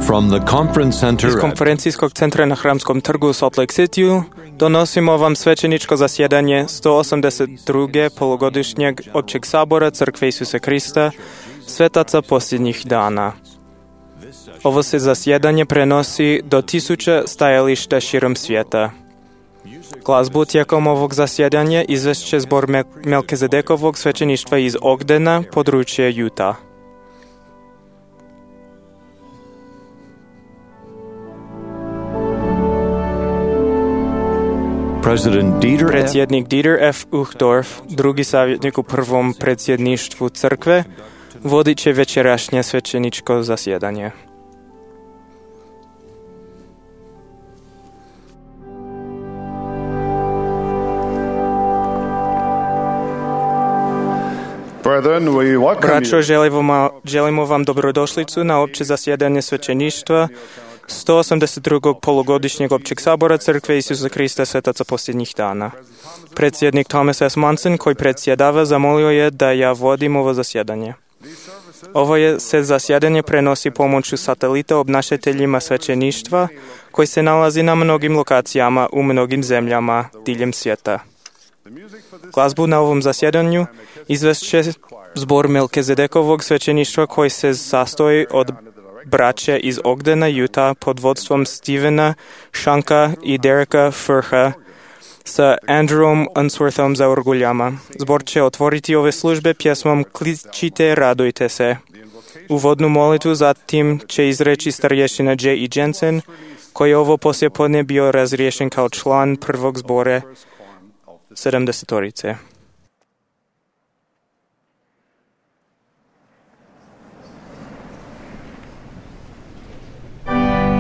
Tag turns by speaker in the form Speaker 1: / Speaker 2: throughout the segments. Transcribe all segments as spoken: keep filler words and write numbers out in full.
Speaker 1: From the conference center
Speaker 2: Iz konferencijskog centra na Hramskom trgu u Salt Lake Cityu donosimo vam svećeničko zasjedanje sto osamdeset druge polugodišnjeg Općeg sabora Crkve Isusa Krista, svetaca posljednjih dana. Ovo se zasjedanje prenosi do tisuća stajališta širom svijeta. Glazbu tijekom ovog zasjedanja izvešće zbor Melkizedekovog svećeništva iz Ogdena, područje Utah. Predsjednik Dieter F. Uchtdorf, drugi savjetnik u prvom predsjedništvu crkve, vodit će večerašnje svećeničko zasjedanje. Braćo, želimo, želimo vam dobrodošlicu na opće zasjedanje svećeništva sto osamdeset drugog polugodišnjeg Općeg sabora Crkve Isusa Krista, svetaca posljednjih dana. Predsjednik Thomas S. Monson, koji predsjedava, zamolio je da ja vodim ovo zasjedanje. Ovo je se zasjedanje prenosi pomoću satelita obnašateljima svećeništva, koji se nalazi na mnogim lokacijama u mnogim zemljama diljem svijeta. Glazbu na ovom zasjedanju izvešće zbor Melkizedekovog svećeništva, koji se sastoji od braće iz Ogdena, Utah, pod vodstvom Stevena Shanka i Dereka Furha sa Andrewom Unsworthom za orguljama. Zbor će otvoriti ove službe pjesmom Kličite, radujte se. Uvodnu molitvu zatim će izreći starješina J. E. Jensen, koji je ovo poslijepodne bio razriješen kao član prvog zbora sedamdesetorice.
Speaker 3: Worship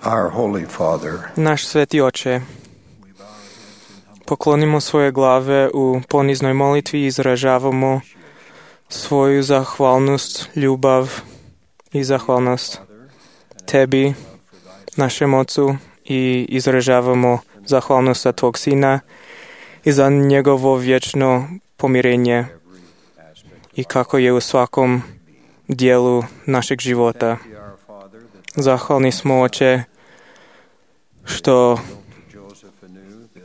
Speaker 1: Our Holy Father,
Speaker 2: Naš sveti oče, poklonimo svoje glave u poniznoj molitvi i izražavamo svoju zahvalnost, ljubav i zahvalnost tebi, našem Ocu, i izražavamo zahvalnost za tvog Sina i za njegovo vječno pomirenje i kako je u svakom dijelu našeg života. Zahvalni smo, Oče, što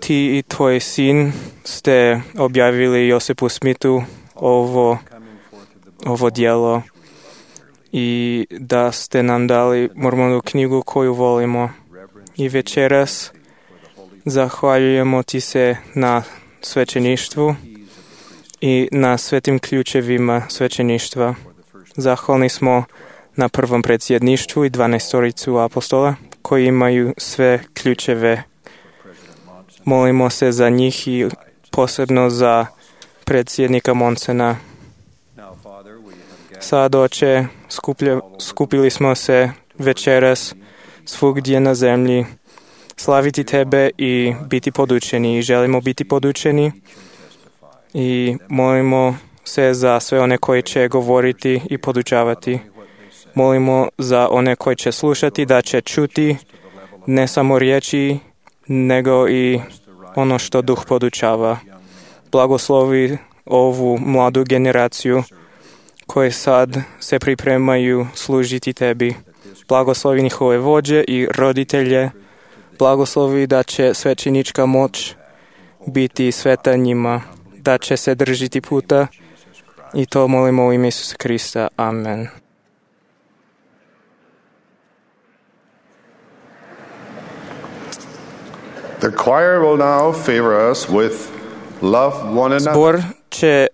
Speaker 2: ti i tvoj sin ste objavili Josipu Smithu ovo, ovo djelo i da ste nam dali Mormonu knjigu koju volimo. I večeras zahvaljujemo ti se na svećeništvu i na svetim ključevima svećeništva. Zahvalni smo na prvom predsjedništvu i dvanaestoricu apostola koji imaju sve ključeve. Molimo se za njih i posebno za predsjednika Monsena. Sad, Oče, skuplja, skupili smo se večeras svugdje na zemlji slaviti tebe i biti podučeni. I želimo biti podučeni i molimo se za sve one koji će govoriti i podučavati. Molimo za one koji će slušati da će čuti ne samo riječi, nego i ono što Duh podučava. Blagoslovi ovu mladu generaciju koji sad se pripremaju služiti tebi. Blagoslovi njihove vođe i roditelje. Blagoslovi da će svećenička moć biti sveta njima, da će se držiti puta i to molimo u ime Isusa Krista. Amen.
Speaker 1: the choir will now favor us with Love One Another.
Speaker 2: Zbor će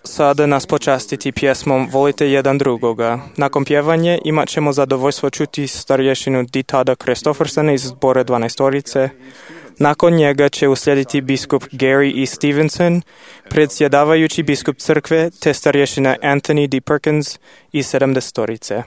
Speaker 2: sada nas počastiti pjesmom Volite jedan drugoga. Nakon pjevanje imat ćemo zadovoljstvo čuti starješinu Ditada Kristoffersona iz zbora dvanaestorice. Nakon njega će uslijediti biskup Gary E. Stevenson, predsjedavajući biskup crkve, te starješina Anthony D. Perkins iz sedamdesetorice.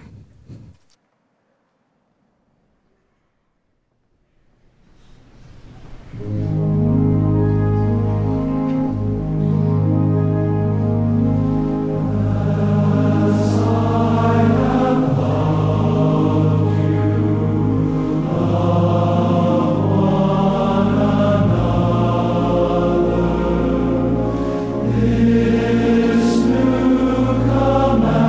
Speaker 3: This new commandment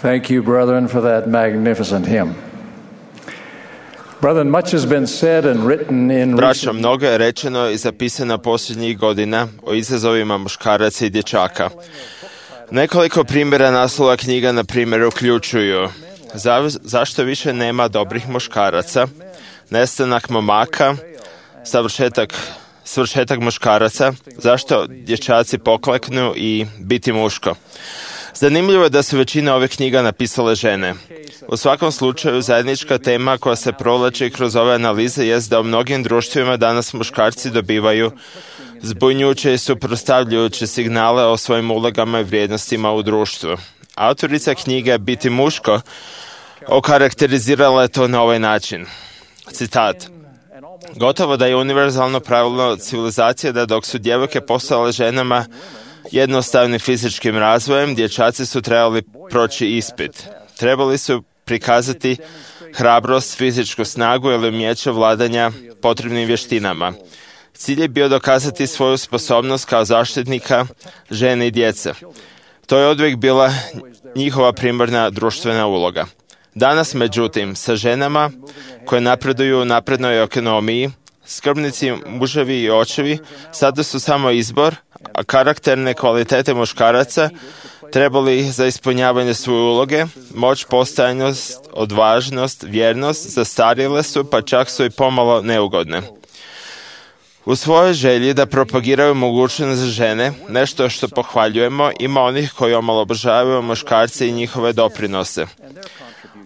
Speaker 3: Thank you, brethren, for that magnificent hymn. Brethren, much has been said and written in
Speaker 4: Braćo, mnogo je rečeno i zapisano posljednjih godina o izazovima muškaraca i dječaka. Nekoliko primjera naslova knjiga, na primjer, uključuju za, zašto više nema dobrih muškaraca, nestanak momaka, savršetak, svršetak muškaraca, zašto dječaci pokleknu i biti muško. Zanimljivo je da su većina ovih knjiga napisale žene. U svakom slučaju, zajednička tema koja se provlači kroz ove analize jest da u mnogim društvima danas muškarci dobivaju zbunjujuće i suprotstavljajuće signale o svojim ulogama i vrijednostima u društvu. Autorica knjige Biti muško okarakterizirala je to na ovaj način. Citat. Gotovo da je univerzalno pravilo civilizacije da dok su djevojke postale ženama jednostavnim fizičkim razvojem, dječaci su trebali proći ispit. Trebali su prikazati hrabrost, fizičku snagu ili umijeće vladanja potrebnim vještinama. Cilj je bio dokazati svoju sposobnost kao zaštitnika žene i djece. To je oduvijek bila njihova primarna društvena uloga. Danas, međutim, sa ženama koje napreduju u naprednoj ekonomiji, skrbnici, muževi i očevi sada su samo izbor, a karakterne kvalitete muškaraca trebali ih za ispunjavanje svoje uloge, moć, postojanost, odvažnost, vjernost, zastarjele su, pa čak su i pomalo neugodne. U svojoj želji da propagiraju mogućnost za žene, nešto što pohvaljujemo, ima onih koji omalovažavaju muškarce i njihove doprinose.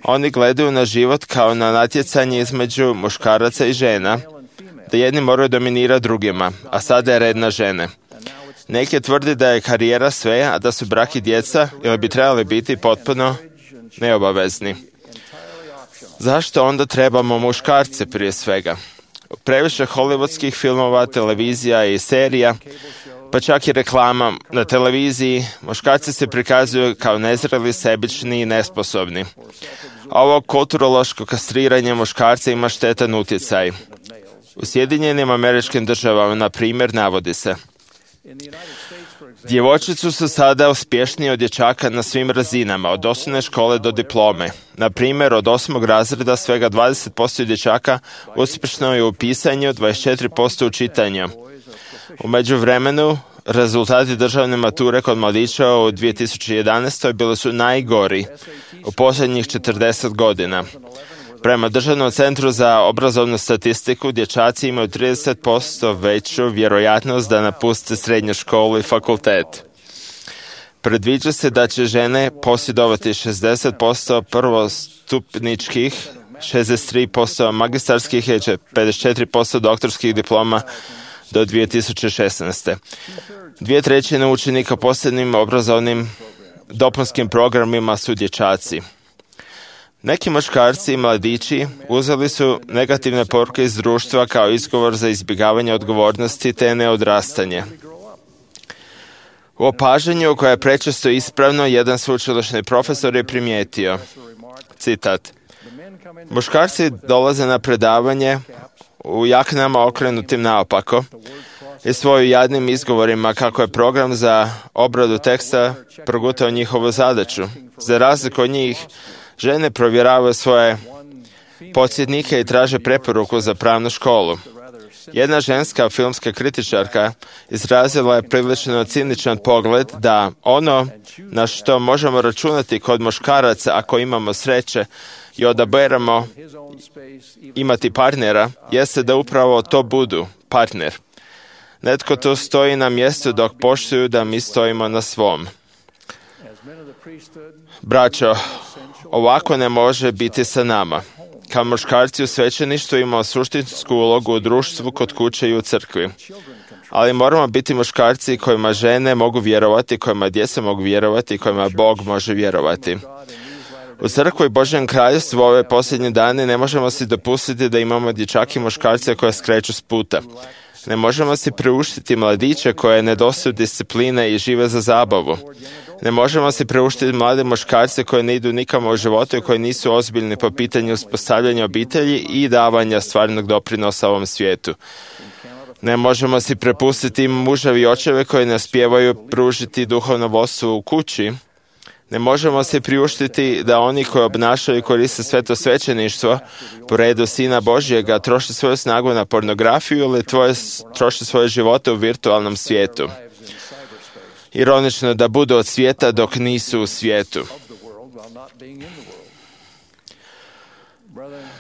Speaker 4: Oni gledaju na život kao na natjecanje između muškaraca i žena, da jedni moraju dominirati drugima, a sada je red na žene. Neki tvrdi da je karijera sve, a da su brak i djeca ili bi trebali biti potpuno neobavezni. Zašto onda trebamo muškarce prije svega? Previše hollywoodskih filmova, televizija i serija, pa čak i reklama na televiziji, muškarci se prikazuju kao nezreli, sebični i nesposobni. Ovo kulturološko kastriranje muškarca ima štetan utjecaj. U Sjedinjenim Američkim Državama, na primjer, navodi se: djevojčice su sada uspješnije od dječaka na svim razinama, od osnovne škole do diplome. Na primjer, od osmog razreda svega dvadeset posto dječaka uspješno je u pisanju, dvadeset četiri posto u čitanju. U međuvremenu, rezultati državne mature kod mladića u dvije tisuće jedanaestoj bili su najgori u posljednjih četrdeset godina. Prema Državnom centru za obrazovnu statistiku, dječaci imaju trideset posto veću vjerojatnost da napuste srednju školu i fakultet. Predviđa se da će žene posjedovati šezdeset posto prvostupničkih, šezdeset tri posto magistarskih i pedeset četiri posto doktorskih diploma do dvije tisuće šesnaeste. Dvije trećine učenika posebnim obrazovnim dopunskim programima su dječaci. Neki muškarci i mladići uzeli su negativne poruke iz društva kao izgovor za izbjegavanje odgovornosti te neodrastanje. U opažanju koje je prečesto ispravno, jedan sveučilišni profesor je primijetio, citat, muškarci dolaze na predavanje u jaknama okrenutim naopako i svojim jadnim izgovorima kako je program za obradu teksta progutao njihovu zadaću. Za razliku od njih, žene provjeravaju svoje podsjetnike i traže preporuku za pravnu školu. Jedna ženska filmska kritičarka izrazila je prilično ciničan pogled da ono na što možemo računati kod muškaraca ako imamo sreće i odaberemo imati partnera, jeste da upravo to budu partner. Netko tu stoji na mjestu dok poštuju da mi stojimo na svom. Braćo, ovako ne može biti sa nama. Kao muškarci u svećeništvu imamo suštinsku ulogu u društvu, kod kuće i u crkvi. Ali moramo biti muškarci kojima žene mogu vjerovati, kojima djeca mogu vjerovati, kojima Bog može vjerovati. U crkvi i Božjem kraljevstvu ove posljednje dane ne možemo si dopustiti da imamo dječake i muškarce koje skreću s puta. Ne možemo si priuštiti mladiće koje nedostaju discipline i žive za zabavu. Ne možemo si priuštiti mlade muškarce koji ne idu nikamo u životu i koji nisu ozbiljni po pitanju uspostavljanja obitelji i davanja stvarnog doprinosa ovom svijetu. Ne možemo si prepustiti muževi i očeve koji ne uspijevaju pružiti duhovno vodstvo u kući. Ne možemo se priuštiti da oni koji obnašaju i koriste sveto svećeništvo po redu Sina Božjega troše svoju snagu na pornografiju ili tvoje, troše svoje živote u virtualnom svijetu. Ironično da budu od svijeta dok nisu u svijetu.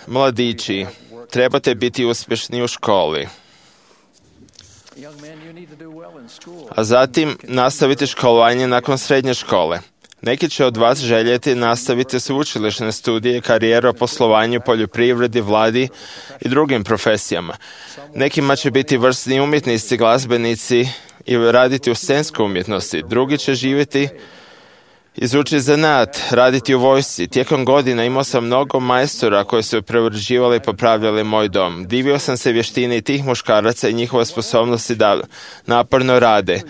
Speaker 4: Mladići, trebate biti uspješni u školi. A zatim nastavite školovanje nakon srednje škole. Neki će od vas željeti nastaviti sveučilišne studije, karijeru o poslovanju, poljoprivredi, vladi i drugim profesijama. Nekima će biti vrsni umjetnici, glazbenici i raditi u scenskoj umjetnosti. Drugi će živjeti, izučiti zanat, raditi u vojsci. Tijekom godina imao sam mnogo majstora koji su preuređivali i popravljali moj dom. Divio sam se vještini tih muškaraca i njihove sposobnosti da naporno rade.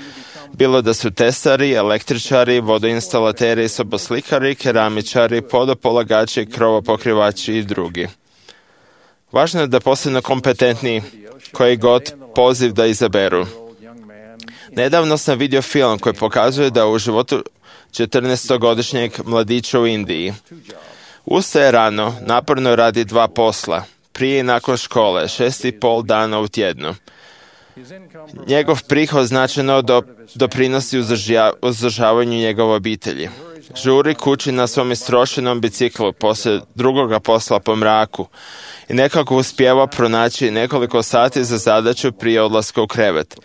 Speaker 4: Bilo da su tesari, električari, vodoinstalateri, soboslikari, keramičari, podopolagači, krovopokrivači i drugi. Važno je da postanu kompetentni koji god poziv da izaberu. Nedavno sam vidio film koji pokazuje da u životu četrnaestogodišnjeg mladića u Indiji ustaje rano, naporno radi dva posla, prije i nakon škole, šest i pol dana u tjednu. Njegov prihod značajno do, doprinosi uzdržavanju njegove obitelji. Žuri kući na svom istrošenom biciklu poslije drugoga posla po mraku i nekako uspijeva pronaći nekoliko sati za zadaću prije odlaska u krevet.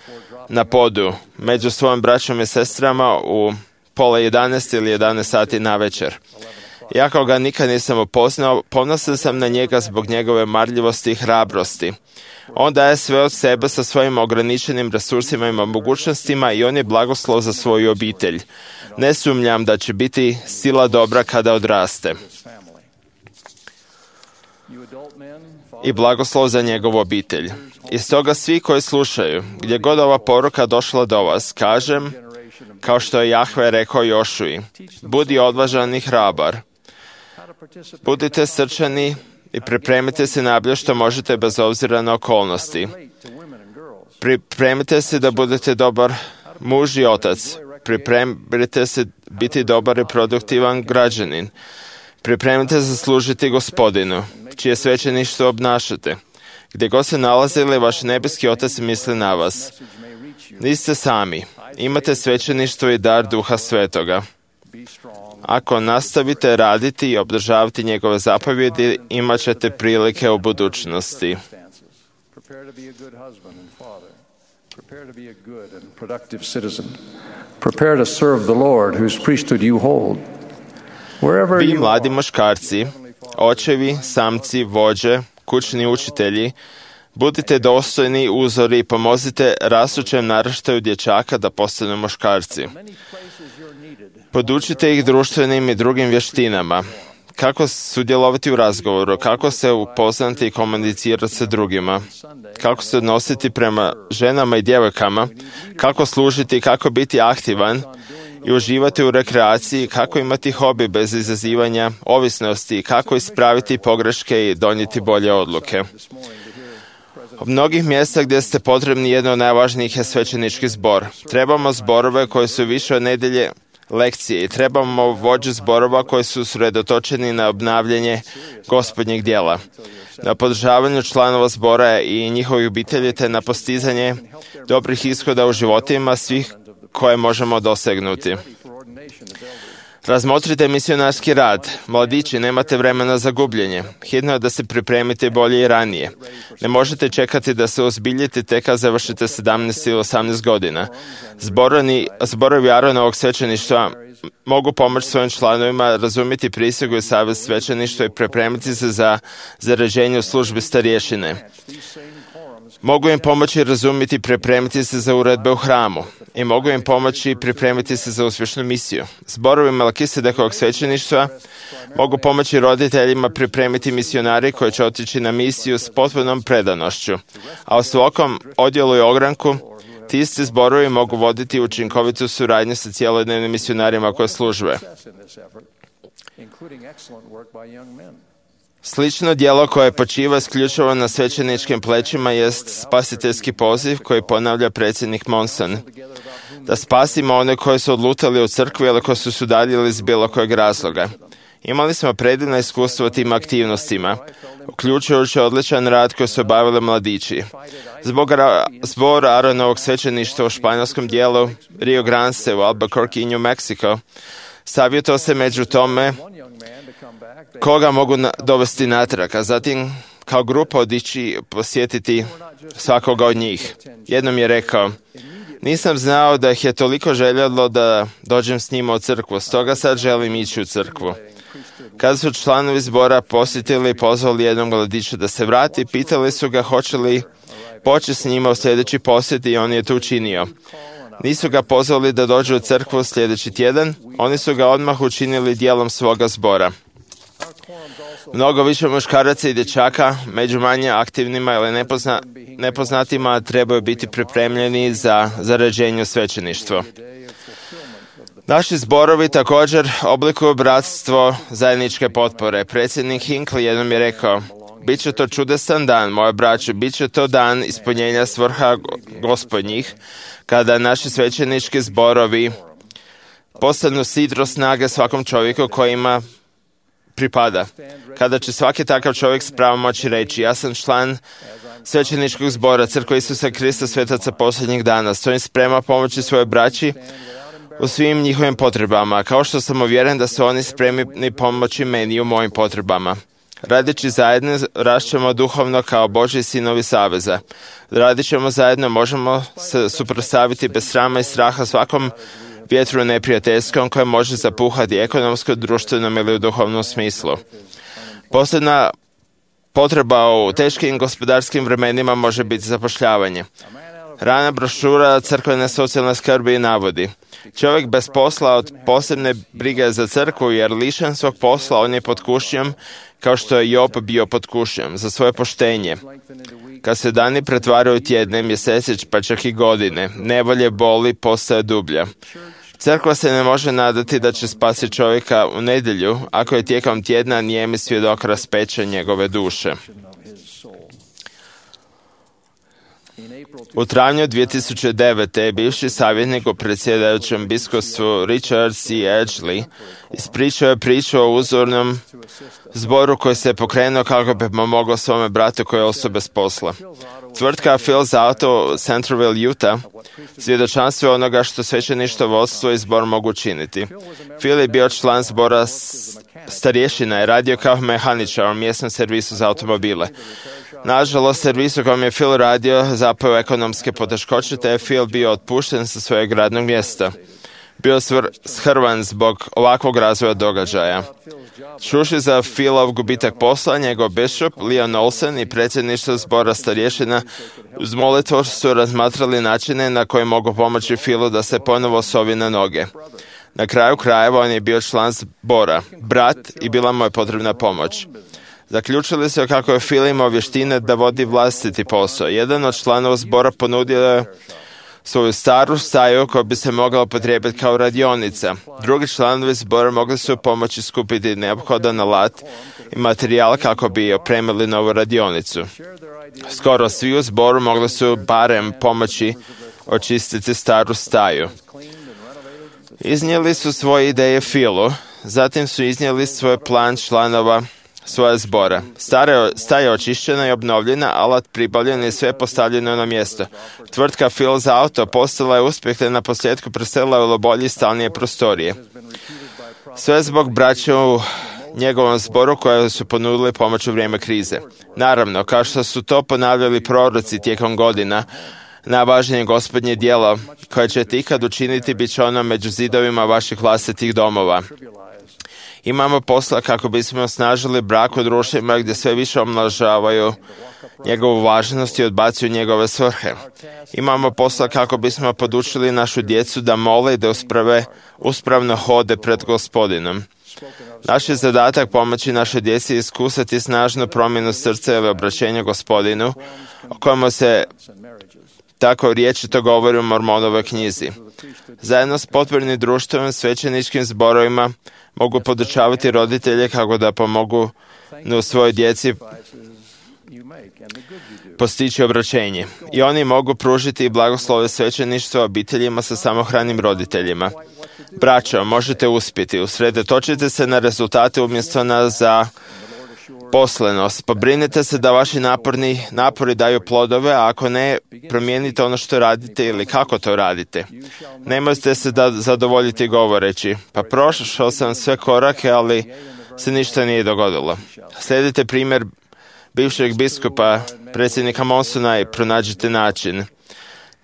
Speaker 4: Na podu, među svojim braćom i sestrama u pola jedanaest ili jedanaest sati na večer. Iako ga nikad nisam upoznao, ponosan sam na njega zbog njegove marljivosti i hrabrosti. On daje sve od sebe sa svojim ograničenim resursima i mogućnostima i on je blagoslov za svoju obitelj. Ne sumnjam da će biti sila dobra kada odraste. I blagoslov za njegovu obitelj. I stoga svi koji slušaju, gdje god ova poruka došla do vas, kažem, kao što je Jahve rekao Jošuji, budi odvažan i hrabar. Budite srčani i pripremite se najbolje što možete bez obzira na okolnosti. Pripremite se da budete dobar muž i otac. Pripremite se biti dobar i produktivan građanin. Pripremite se služiti Gospodinu, čije svećeništvo obnašate. Gdje god se nalazili, vaš nebeski otac misli na vas. Niste sami. Imate svećeništvo i dar Duha Svetoga. Ako nastavite raditi i obdržavati njegove zapovjedi, imat ćete prilike u budućnosti. Vi mladi muškarci, očevi, samci, vođe, kućni učitelji, budite dostojni uzori i pomozite rastućem naraštaju dječaka da postanu muškarci. Podučite ih društvenim i drugim vještinama. Kako sudjelovati u razgovoru, kako se upoznati i komunicirati sa drugima, kako se odnositi prema ženama i djevojkama, kako služiti, kako biti aktivan i uživati u rekreaciji, kako imati hobi bez izazivanja ovisnosti, kako ispraviti pogreške i donijeti bolje odluke. Od mnogih mjesta gdje ste potrebni, jedno od najvažnijih je svećenički zbor. Trebamo zborove koji su više od nedjelje lekcije i trebamo vođe zborova koji su usredotočeni na obnavljanje gospodnjeg djela, na podržavanju članova zbora i njihovih obitelji te na postizanje dobrih ishoda u životima svih koje možemo dosegnuti. Razmotrite misionarski rad. Mladići, nemate vremena za gubljenje. Hitno je da se pripremite bolje i ranije. Ne možete čekati da se ozbiljite tek kad završite sedamnaest ili osamnaest godina. Zborani, zborovi Aronovog svećeništva mogu pomoći svojim članovima razumjeti prisegu i savjet svećeništva i pripremiti se za zarađenje u službi starješine. Mogu im pomoći razumjeti i pripremiti se za uredbe u hramu i mogu im pomoći pripremiti se za uspješnu misiju. Zborovi Melkisedekovog svećeništva mogu pomoći roditeljima pripremiti misionari koji će otići na misiju s potpunom predanošću, a u svakom odjelu i ogranku ti isti zborovi mogu voditi učinkovitu suradnju sa cijelodnevnim misionarima koje službe. Slično djelo koje počiva isključivo na svećeničkim plećima jest spasiteljski poziv koji ponavlja predsjednik Monson. da spasimo one koji su odlutali u crkvi ili koji su se udaljili iz bilo kojeg razloga. Imali smo predivno iskustvo u tim aktivnostima, uključujući odličan rad koji su obavili mladići. Zbog ra- zbor Aaronovog svećeništva u španjolskom dijelu Rio Grande u Albuquerque, New Mexico, savjetao se među tome koga mogu na- dovesti natrag, a zatim kao grupa odići posjetiti svakoga od njih. Jednom je rekao, nisam znao da ih je toliko željelo da dođem s njima u crkvu, stoga sad želim ići u crkvu. Kada su članovi zbora posjetili i pozvali jednog mladića da se vrati, pitali su ga hoće li poći s njima u sljedeći posjet i on je to učinio. Nisu ga pozvali da dođe u crkvu sljedeći tjedan, oni su ga odmah učinili dijelom svoga zbora. Mnogo više muškaraca i dječaka, među manje aktivnima ili nepozna, nepoznatima, trebaju biti pripremljeni za zarađenje u svećeništvo. Naši zborovi također oblikuju bratstvo zajedničke potpore. Predsjednik Hinckley jednom je rekao, bit će to čudesan dan, moje braće, bit će to dan ispunjenja svrha gospodnjih, kada naši svećenički zborovi postanu sidro snage svakom čovjeku kojima pripada. Kada će svaki takav čovjek s pravom moći reći, ja sam član svećeničkog zbora Crkve Isusa Krista svetaca posljednjih dana, stojim sprema pomoći svoje braći u svim njihovim potrebama, kao što sam uvjeren da su oni spremni pomoći meni u mojim potrebama. Radići zajedno, rašćemo duhovno kao Božji sinovi saveza. Radit ćemo zajedno, možemo se suprotstaviti bez srama i straha svakom vjetru neprijateljskom koje može zapuhati ekonomsko, društvenom ili u duhovnom smislu. Posljedna potreba u teškim gospodarskim vremenima može biti zapošljavanje. Rana brošura crkvene socijalne skrbi navodi, čovjek bez posla od posebne brige za crkvu, jer lišen svog posla on je pod kušnjom, kao što je Job bio pod kušnjom, za svoje poštenje. Kad se dani pretvaraju tjedne, mjeseci, pa čak i godine, nevolje, boli, postaje dublja. Crkva se ne može nadati da će spasiti čovjeka u nedjelju, ako je tijekom tjedna nijemi svjedok raspeća njegove duše. U travnju dvije tisuće devete. bivši savjetnik u predsjedajućem biskupstvu Richard C. Edgley ispričao je priču o uzornom zboru koji se je pokrenuo kako bi pomogao svome bratu koji je ostao bez posla. Tvrtka Phil's Auto u Centerville, Utah, svjedočanstvo onoga što svećeništvo, vodstvo i zbor mogu učiniti. Phil je bio član zbora starješina i radio kao mehaničar u mjesnom servisu za automobile. Nažalost, servis u kojem je Phil radio zapao ekonomske poteškoće, te je Phil bio otpušten sa svojeg radnog mjesta. Bio svr- shrvan zbog ovakvog razvoja događaja. Čuši za Philov gubitak posla, njegov bishop, Leon Olsen i predsjedništvo zbora starješina uz molitvu su razmatrali načine na koje mogu pomoći Philu da se ponovo sovi na noge. Na kraju krajeva on je bio član zbora, brat, i bila mu je potrebna pomoć. Zaključili su kako je Phil imao vještine da vodi vlastiti posao. Jedan od članova zbora ponudio je svoju staru staju koja bi se mogla upotrijebiti kao radionica. Drugi članovi zbora mogli su pomoći skupiti neophodan alat i materijal kako bi opremili novu radionicu. Skoro svi u zboru mogli su barem pomoći očistiti staru staju. Iznijeli su svoje ideje Philu, zatim su iznijeli svoj plan članova svoje zbora. Stara staja očišćena i obnovljena, alat pribavljen i sve postavljeno na mjesto. Tvrtka Phil's Auto postala je uspjeh te na posljedku preselila u bolje i stalnije prostorije. Sve zbog braće u njegovom zboru koje su ponudili pomoć u vrijeme krize. Naravno, kao što su to ponavljali proroci tijekom godina, najvažnije gospodnje djelo koje ćete ikad učiniti bit će ono među zidovima vaših vlastitih domova. Imamo posla kako bismo osnažili brak u društvima gdje sve više omlažavaju njegovu važnost i odbacuju njegove svrhe. Imamo posla kako bismo podučili našu djecu da mole i da usprave, uspravno hode pred Gospodinom. Naš je zadatak pomoći našoj djeci iskusati snažnu promjenu srca ili obraćenja Gospodinu, o kojemu se tako riječito govori u Mormonovoj knjizi. Zajedno s potpornim društvom, svećeničkim zborovima mogu podučavati roditelje kako da pomogu u svojoj djeci postići obraćenje. I oni mogu pružiti blagoslove svećeništva obiteljima sa samohranim roditeljima. Braćo, možete uspjeti. Usredotočite se na rezultate umjesto na za poslenost. Pobrinite se da vaši naporni, napori daju plodove, a ako ne, promijenite ono što radite ili kako to radite. Nemojte se da zadovoljiti govoreći, pa prošao sam sve korake, ali se ništa nije dogodilo. Slijedite primjer bivšeg biskupa, predsjednika Monsona, i pronađite način.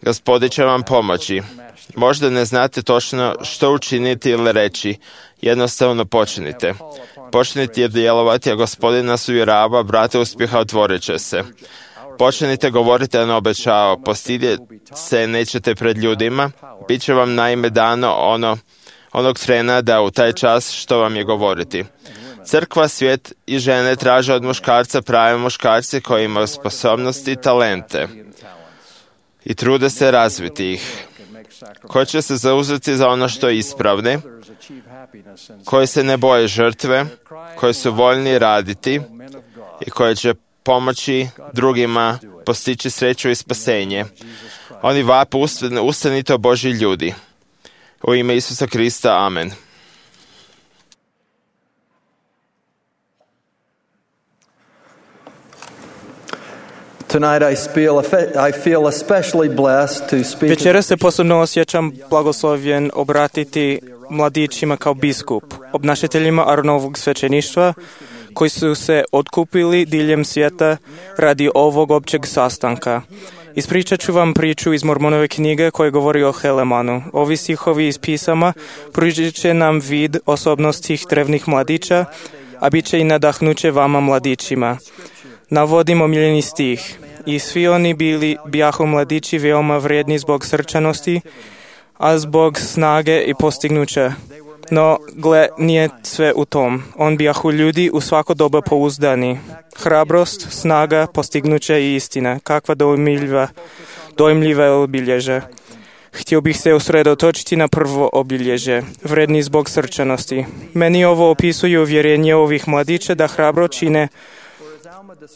Speaker 4: Gospodin će vam pomoći. Možda ne znate točno što učiniti ili reći. Jednostavno počnite. Počnite djelovati, a Gospodin nas uvjerava, vrata uspjeha otvorit će se. Počnite govoriti, a ne obećao. Postidjeti se nećete pred ljudima. Biće vam naime dano ono, onog trena da u taj čas što vam je govoriti. Crkva, svijet i žene traže od muškarca prave muškarce koji imaju sposobnosti i talente i trude se razviti ih, koji će se zauzeti za ono što je ispravne, koji se ne boje žrtve, koji su voljni raditi i koji će pomoći drugima postići sreću i spasenje. Oni vape, ustanite, Božji ljudi. U ime Isusa Krista, amen.
Speaker 5: Tonight I feel, I feel especially blessed to speak.
Speaker 2: Večeras se posebno osjećam blagoslovljen obratiti mladićima kao biskup, obnašateljima Aronovog svećeništva, koji su se otkupili diljem svijeta radi ovog općeg sastanka. Ispričat ću vam priču iz Mormonove knjige koja govori o Helemanu. Ovi stihovi iz pisama pružit će nam vid osobnosti drevnih mladića, a bit će i nadahnuće vama mladićima. Navodim omiljeni stih. I svi oni bili bijahu mladići veoma vrijedni zbog srčanosti, a zbog snage i postignuća. No, gle, nije sve u tom. On bijahu ljudi u svako doba pouzdani. Hrabrost, snaga, postignuće i istina. Kakva dojmljiva, dojmljiva obilježe. Htio bih se usredotočiti na prvo obilježe, vredni zbog srčanosti. Meni ovo opisuje uvjerenje ovih mladića da hrabro čine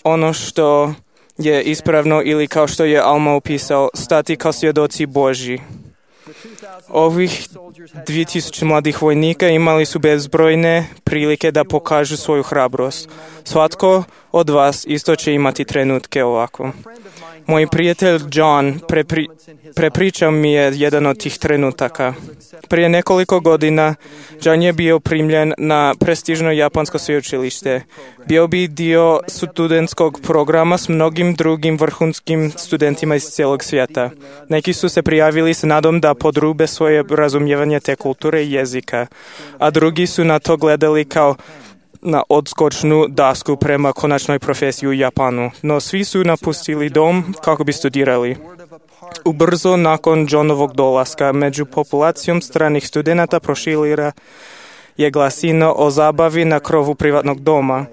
Speaker 2: ono što je ispravno ili, kao što je Alma opisao, stati kao svjedoci Božji. Ovih dvije tisuće mladih vojnika imali su bezbrojne prilike da pokažu svoju hrabrost. Svatko od vas isto će imati trenutke ovako. Moj prijatelj John prepri, prepričao mi je jedan od tih trenutaka. Prije nekoliko godina John je bio primljen na prestižno japansko sveučilište. Bio bi dio studentskog programa s mnogim drugim vrhunskim studentima iz cijelog svijeta. Neki su se prijavili s nadom da podrube svoje razumijevanje te kulture i jezika, a drugi su na to gledali kao na odskočnu dasku prema konačnoj profesiji u Japanu. No svi su napustili dom kako bi studirali. Ubrzo nakon Johnovog dolaska među populacijom stranih studenata proširila je glasina o zabavi na krovu privatnog doma.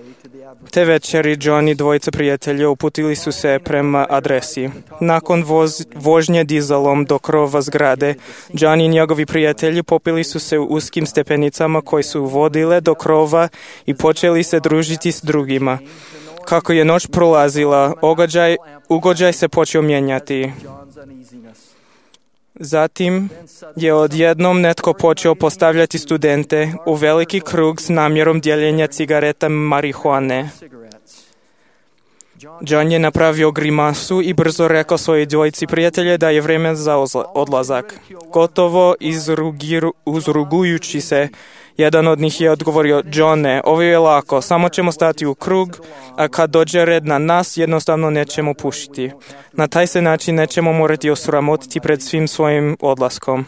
Speaker 2: Te večeri John i dvojica prijatelja uputili su se prema adresi. Nakon voz, vožnje dizalom do krova zgrade, John i njegovi prijatelji popili su se u uskim stepenicama koji su vodile do krova i počeli se družiti s drugima. Kako je noć prolazila, ugođaj, ugođaj se počeo mijenjati. Zatim je odjednom netko počeo postavljati studente u veliki krug s namjerom dijeljenja cigareta marihuane. John je napravio grimasu i brzo rekao svojoj dvojici prijatelje da je vrijeme za odlazak. Gotovo izrugiru, uzrugujući se, jedan od njih je odgovorio: Johne, ovo je lako, samo ćemo stati u krug, a kad dođe red na nas, jednostavno nećemo pušiti. Na taj se način nećemo morati osramotiti pred svim svojim odlaskom.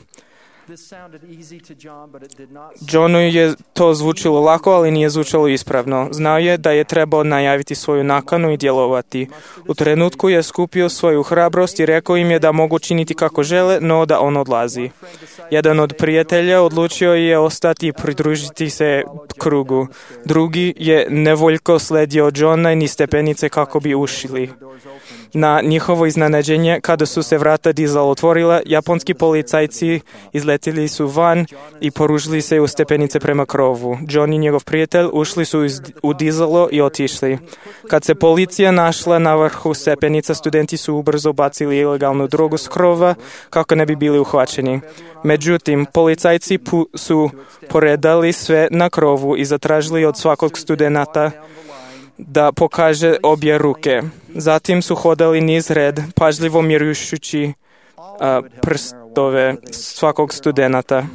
Speaker 2: Johnu je to zvučilo lako, ali nije zvučalo ispravno. Znao je da je trebao najaviti svoju nakanu i djelovati. U trenutku je skupio svoju hrabrost i rekao im je da mogu činiti kako žele, no da on odlazi. Jedan od prijatelja odlučio je ostati i pridružiti se krugu. Drugi je nevoljko sledio Johna i niz stepenice kako bi ušli. Na njihovo iznenađenje, kada su se vrata dizala otvorila, japonski policajci izletili izletili su van i poružili se u stepenice prema krovu. John i njegov prijatelj ušli su u dizalo i otišli. Kad se policija našla na vrhu stepenica, studenti su ubrzo bacili ilegalnu drogu s krova kako ne bi bili uhvaćeni. Međutim, policajci pu- su poredali sve na krovu i zatražili od svakog studenta da pokaže obje ruke. Zatim su hodali niz red, pažljivo mjerujući a, prstove svakog studenta.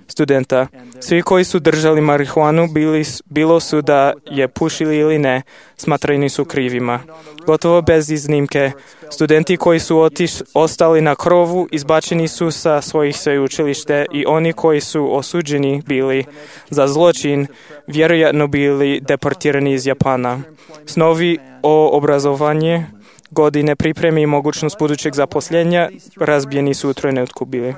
Speaker 2: studenta. Svi koji su držali marihuanu, bili, bilo su da je pušili ili ne, smatrani su krivima. Gotovo bez iznimke, studenti koji su otiš, ostali na krovu izbačeni su sa svojih sveučilište i oni koji su osuđeni bili za zločin, vjerojatno bili deportirani iz Japana. Snovi o obrazovanje, godine pripreme i mogućnost budućeg zaposlenja razbijeni su u trenutku bili.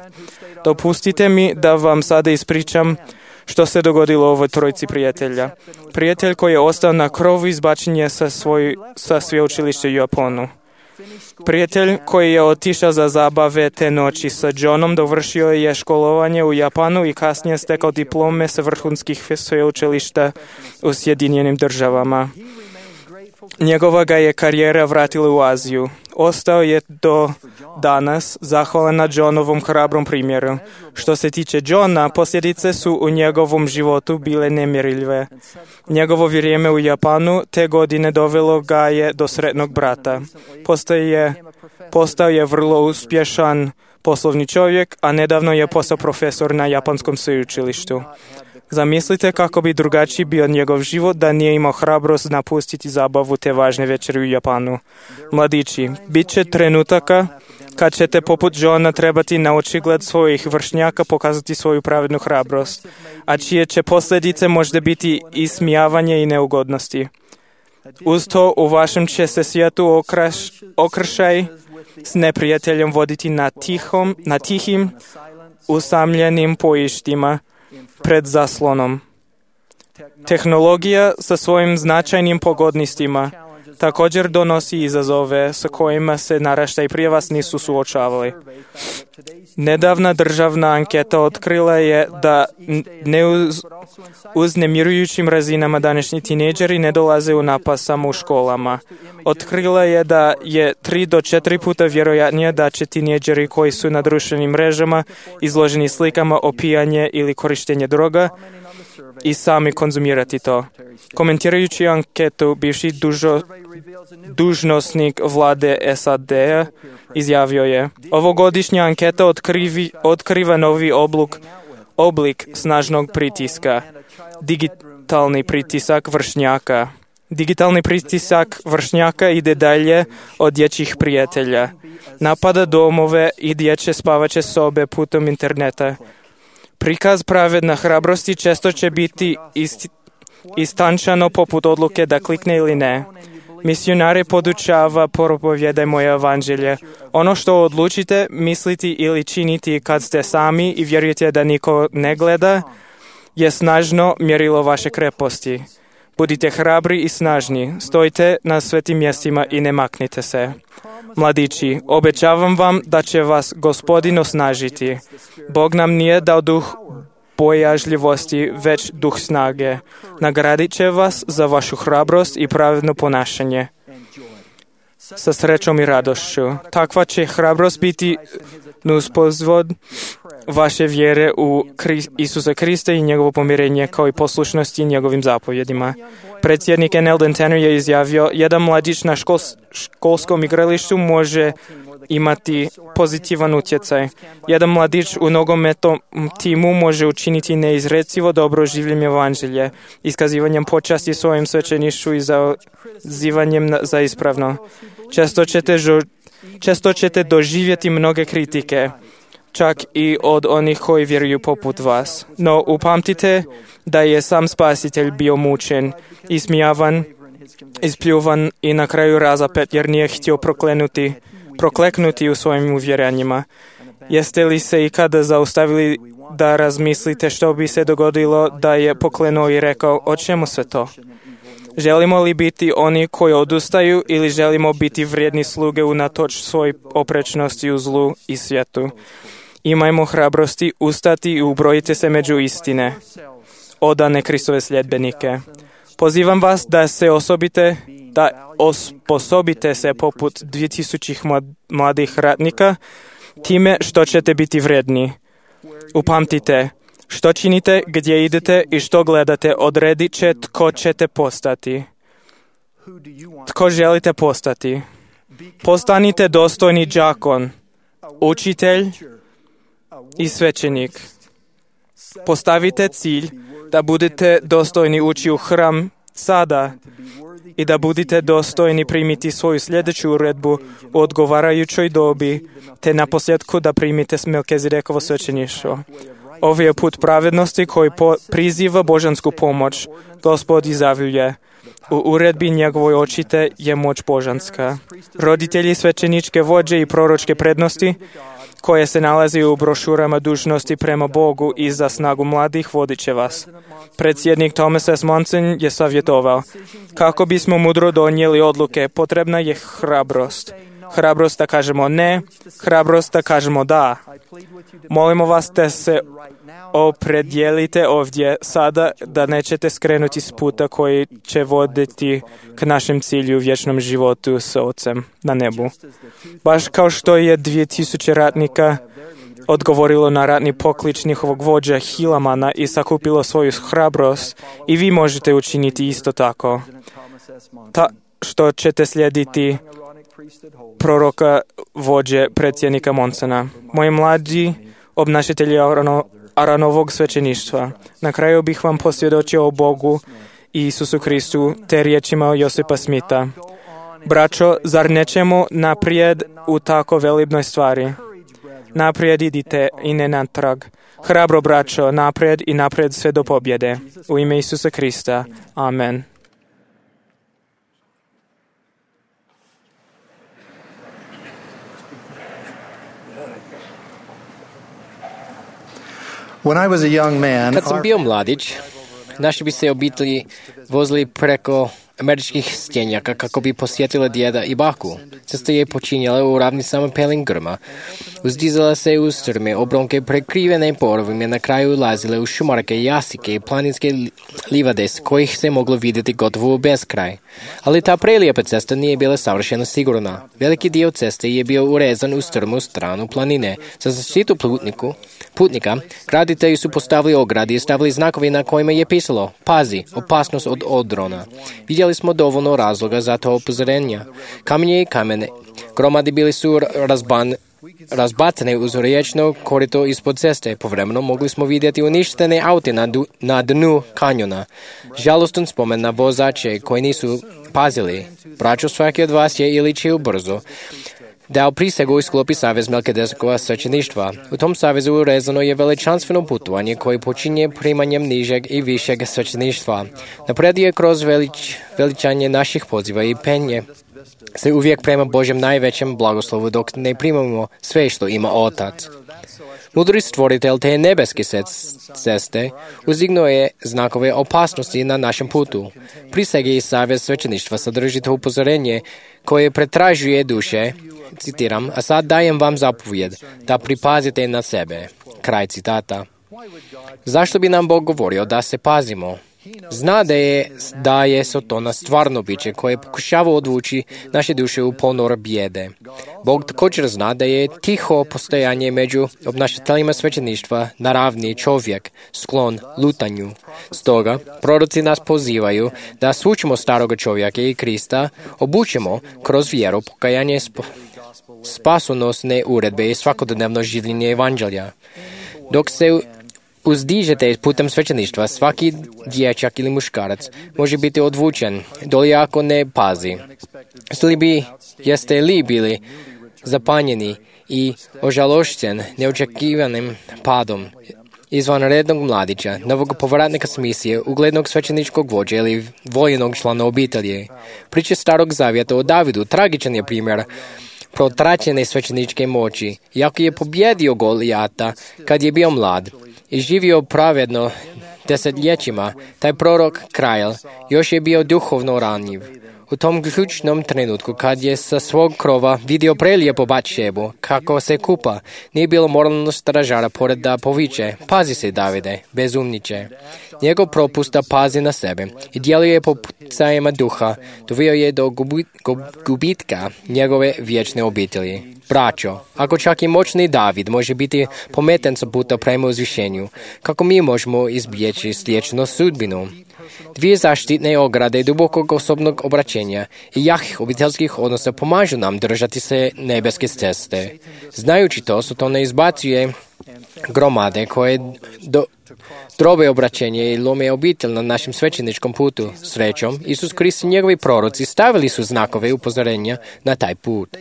Speaker 2: Dopustite mi da vam sada ispričam što se dogodilo ovoj trojici prijatelja. Prijatelj koji je ostao na krovu izbačen je sa, svoj, sa sveučilišta u Japanu. Prijatelj koji je otišao za zabave te noći sa Johnom dovršio je školovanje u Japanu i kasnije stekao diplome sa vrhunskih sveučilišta u Sjedinjenim državama. Njegova ga je karijera vratila u Aziju. Ostao je do danas zahvalan na Johnovom hrabrom primjeru. Što se tiče Johna, posljedice su u njegovom životu bile nemjerljive. Njegovo vrijeme u Japanu te godine dovelo ga je do sretnog brata. Postao je, postao je vrlo uspješan poslovni čovjek, a nedavno je postao profesor na japanskom sveučilištu. Zamislite kako bi drugačiji bio njegov život da nije imao hrabrost napustiti zabavu te važne večeri u Japanu. Mladići, bit će trenutaka kad ćete poput Johna trebati na očigled svojih vršnjaka pokazati svoju pravednu hrabrost, a čije će posljedice možda biti ismijavanje i neugodnosti. Uz to u vašem će se svijetu okraš, okršaj s neprijateljem voditi na, tihom, na tihim, usamljenim pojištima pred zaslonom. Tehnologija sa svojim značajnim pogodnostima također donosi izazove sa kojima se naraštaji prije vas nisu suočavali. Nedavna državna anketa otkrila je da ne uz, uz nemirujućim razinama današnji tinejdžeri ne dolaze u napast samo u školama. Otkrila je da je tri do četiri puta vjerojatnije da će tinejdžeri koji su na društvenim mrežama izloženi slikama opijanje ili korištenje droga i sami konzumirati to. Komentirajući anketu, bivši dužo, dužnosnik vlade S A D-a izjavio je: ovogodišnja anketa otkrivi, otkriva novi oblik, oblik snažnog pritiska, digitalni pritisak vršnjaka. Digitalni pritisak vršnjaka ide dalje od dječjih prijatelja. Napada domove i dječje spavaće sobe putem interneta. Prikaz pravedne hrabrosti često će biti isti, istančano poput odluke da klikne ili ne. Misionare podučava propovijedaj moje evanđelje. Ono što odlučite misliti ili činiti kad ste sami i vjerujete da niko ne gleda je snažno mjerilo vaše kreposti. Budite hrabri i snažni, stojite na svetim mjestima i ne maknite se. Mladići, obećavam vam da će vas Gospodin osnažiti. Bog nam nije dao duh bojažljivosti, već duh snage. Nagradit će vas za vašu hrabrost i pravedno ponašanje. Sa srećom i radošću. Takva će hrabrost biti nuspozvod vaše vjere u Isusa Krista i njegovo pomirenje kao i poslušnosti njegovim zapovjedima. Predsjednik N. Eldon Tanner je izjavio: jedan mladić na škol, školskom igralištu može imati pozitivan utjecaj. Jedan mladić u nogometnom timu može učiniti neizrecivo dobro življenje evanđelje, iskazivanjem počasti svojim svećeništvu i zazivanjem za ispravno. Često ćete, žo, često ćete doživjeti mnoge kritike, čak i od onih koji vjeruju poput vas. No upamtite da je sam Spasitelj bio mučen, ismijavan, ispljuvan i na kraju razapet jer nije htio proklenuti, prokleknuti u svojim uvjerenjima. Jeste li se ikada zaustavili da razmislite što bi se dogodilo da je poklenuo i rekao: o čemu sve to? Želimo li biti oni koji odustaju ili želimo biti vrijedni sluge unatoč svoj oprečnosti u zlu i svijetu? Imajmo hrabrosti ustati i ubrojite se među istine, odane Kristove sljedbenike. Pozivam vas da se osobite, da osposobite se poput dvije tisuće mladih ratnika, time što ćete biti vredni. Upamtite, što činite, gdje idete i što gledate, odredit će tko ćete postati. Tko želite postati? Postanite dostojni đakon, učitelj i svećenik. Postavite cilj da budete dostojni ući u hram sada i da budete dostojni primiti svoju sljedeću uredbu u odgovarajućoj dobi, te naposljetku da primite Melkizedekovo svećeništvo. Ovo je put pravednosti koji po- priziva božansku pomoć. Gospod izjavljuje, u uredbi njegovoj očite je moć božanska. Roditelji, svećeničke vođe i proročke prednosti, koje se nalazi u brošurama dužnosti prema Bogu i za snagu mladih, vodit će vas. Predsjednik Thomas S. Monson je savjetovao, kako bismo mudro donijeli odluke, potrebna je hrabrost. Hrabrost da kažemo ne, hrabrost da kažemo da. Molimo vas da se opredijelite ovdje sada, da nećete skrenuti s puta koji će voditi k našem cilju u vječnom životu s Otcem na nebu. Baš kao što je dvije tisuće ratnika odgovorilo na ratni poklič njihovog vođa Hilamana i sakupilo svoju hrabrost, i vi možete učiniti isto tako. Ta što ćete slijediti proroka vođe predsjednika Monsona. Moji mlađi obnašatelji Arano, Aranovog svećeništva, na kraju bih vam posvjedočio o Bogu i Isusu Kristu te riječima Josipa Smita. Braćo, zar nećemo naprijed u tako velibnoj stvari? Naprijed idite i ne natrag. Hrabro, braćo, naprijed i naprijed sve do pobjede. U ime Isusa Krista. Amen.
Speaker 5: When I was a young man,
Speaker 6: Kad sam bio mladić, naši bi se obitelji vozili preko američkih stjenjaka kako bi posjetile djeda i baku. Cesta je počinjala u ravnicama pelin grma. Uzdizala se uz strme obronke prekrivene porovima, na kraju ulazile u šumarke, jasike i planinske livade s kojih se moglo vidjeti gotovo u beskraj. Ali ta prelijepa cesta nije bila savršeno sigurna. Veliki dio ceste je bio urezan u strmu stranu planine. Za zaštitu putniku, putnika, graditelji su postavili ograde i stavili znakovi na kojima je pisalo: pazi, opasnost od odrona. Vidjeli smo dovoljno razloga za to upozorenja. Kamenje i kamene gromadi bili su razban, razbacane uz riječno korito ispod ceste. Povremeno mogli smo vidjeti uništene aute na, du, na dnu kanjona. Žalostan spomen na vozače koji nisu pazili. Braćo, svaki od vas je ili će brzo dao prisegu i sklopi savez Melkizedekova svećeništva. U tom savezu urezano je veličanstveno putovanje koje počinje primanjem nižeg i višeg svećeništva. Napred je kroz velič, veličanje naših poziva i penje se uvijek prema Božjem najvećem blagoslovu dok ne primamo sve što ima Otac. Mudri stvoritelj te nebeske ceste uzdignuo je znakove opasnosti na našem putu. Prisege i savez svećeništva sadrži to upozorenje koje pretražuje duše, citiram, a sad dajem vam zapovjed da pripazite na sebe. Kraj citata. Zašto bi nam Bog govorio da se pazimo? Zna da je, da je Sotona stvarno biće koje pokušava odvući naše duše u ponor bijede. Bog također zna da je tiho postojanje među obnašateljima svećeništva naravni čovjek, sklon lutanju. Stoga, proroci nas pozivaju da svučimo staroga čovjeka i Krista, obučemo kroz vjeru pokajanje sp- spasonosne uredbe i svakodnevno življenje evanđelja. Dok se uzdižete putem svećeništva, svaki dječak ili muškarac može biti odvučen, doli ako ne pazi. Jeste li, bi, jeste li bili zapanjeni i ožalošćen neočekivanim padom izvanrednog mladića, novog povratnika s misije, uglednog svećeničkog vođa ili voljenog člana obitelji? Priče starog zavjeta o Davidu tragičan je primjer protraćene svećeničke moći. Iako je pobjedio Golijata kad je bio mlad i živio pravedno desetljećima, taj prorok kralj još je bio duhovno ranjiv. U tom ključnom trenutku, kad je sa svog krova vidio prelijepo Batšebu, kako se kupa, nije bilo moralno stražara pored da poviče: pazi se, Davide, bezumniče. Njegov propust da pazi na sebe i djeluje po pucajima duha doveo je do gubi, gubitka njegove vječne obitelji. Braćo, ako čak i moćni David može biti pometen sa puta prema uzvišenju, kako mi možemo izbjeći sličnu sudbinu? Dvije zaštitne ograde dubokog osobnog obraćenja i jakih obiteljskih odnosa pomažu nam držati se nebeske ceste. Znajući to, Satan ne izbacuje gromade koje do, drobe obraćenje i lome obitelj na našem svećeničkom putu. Srećom, Isus Krist i njegovi proroci stavili su znakove upozorenja na taj put.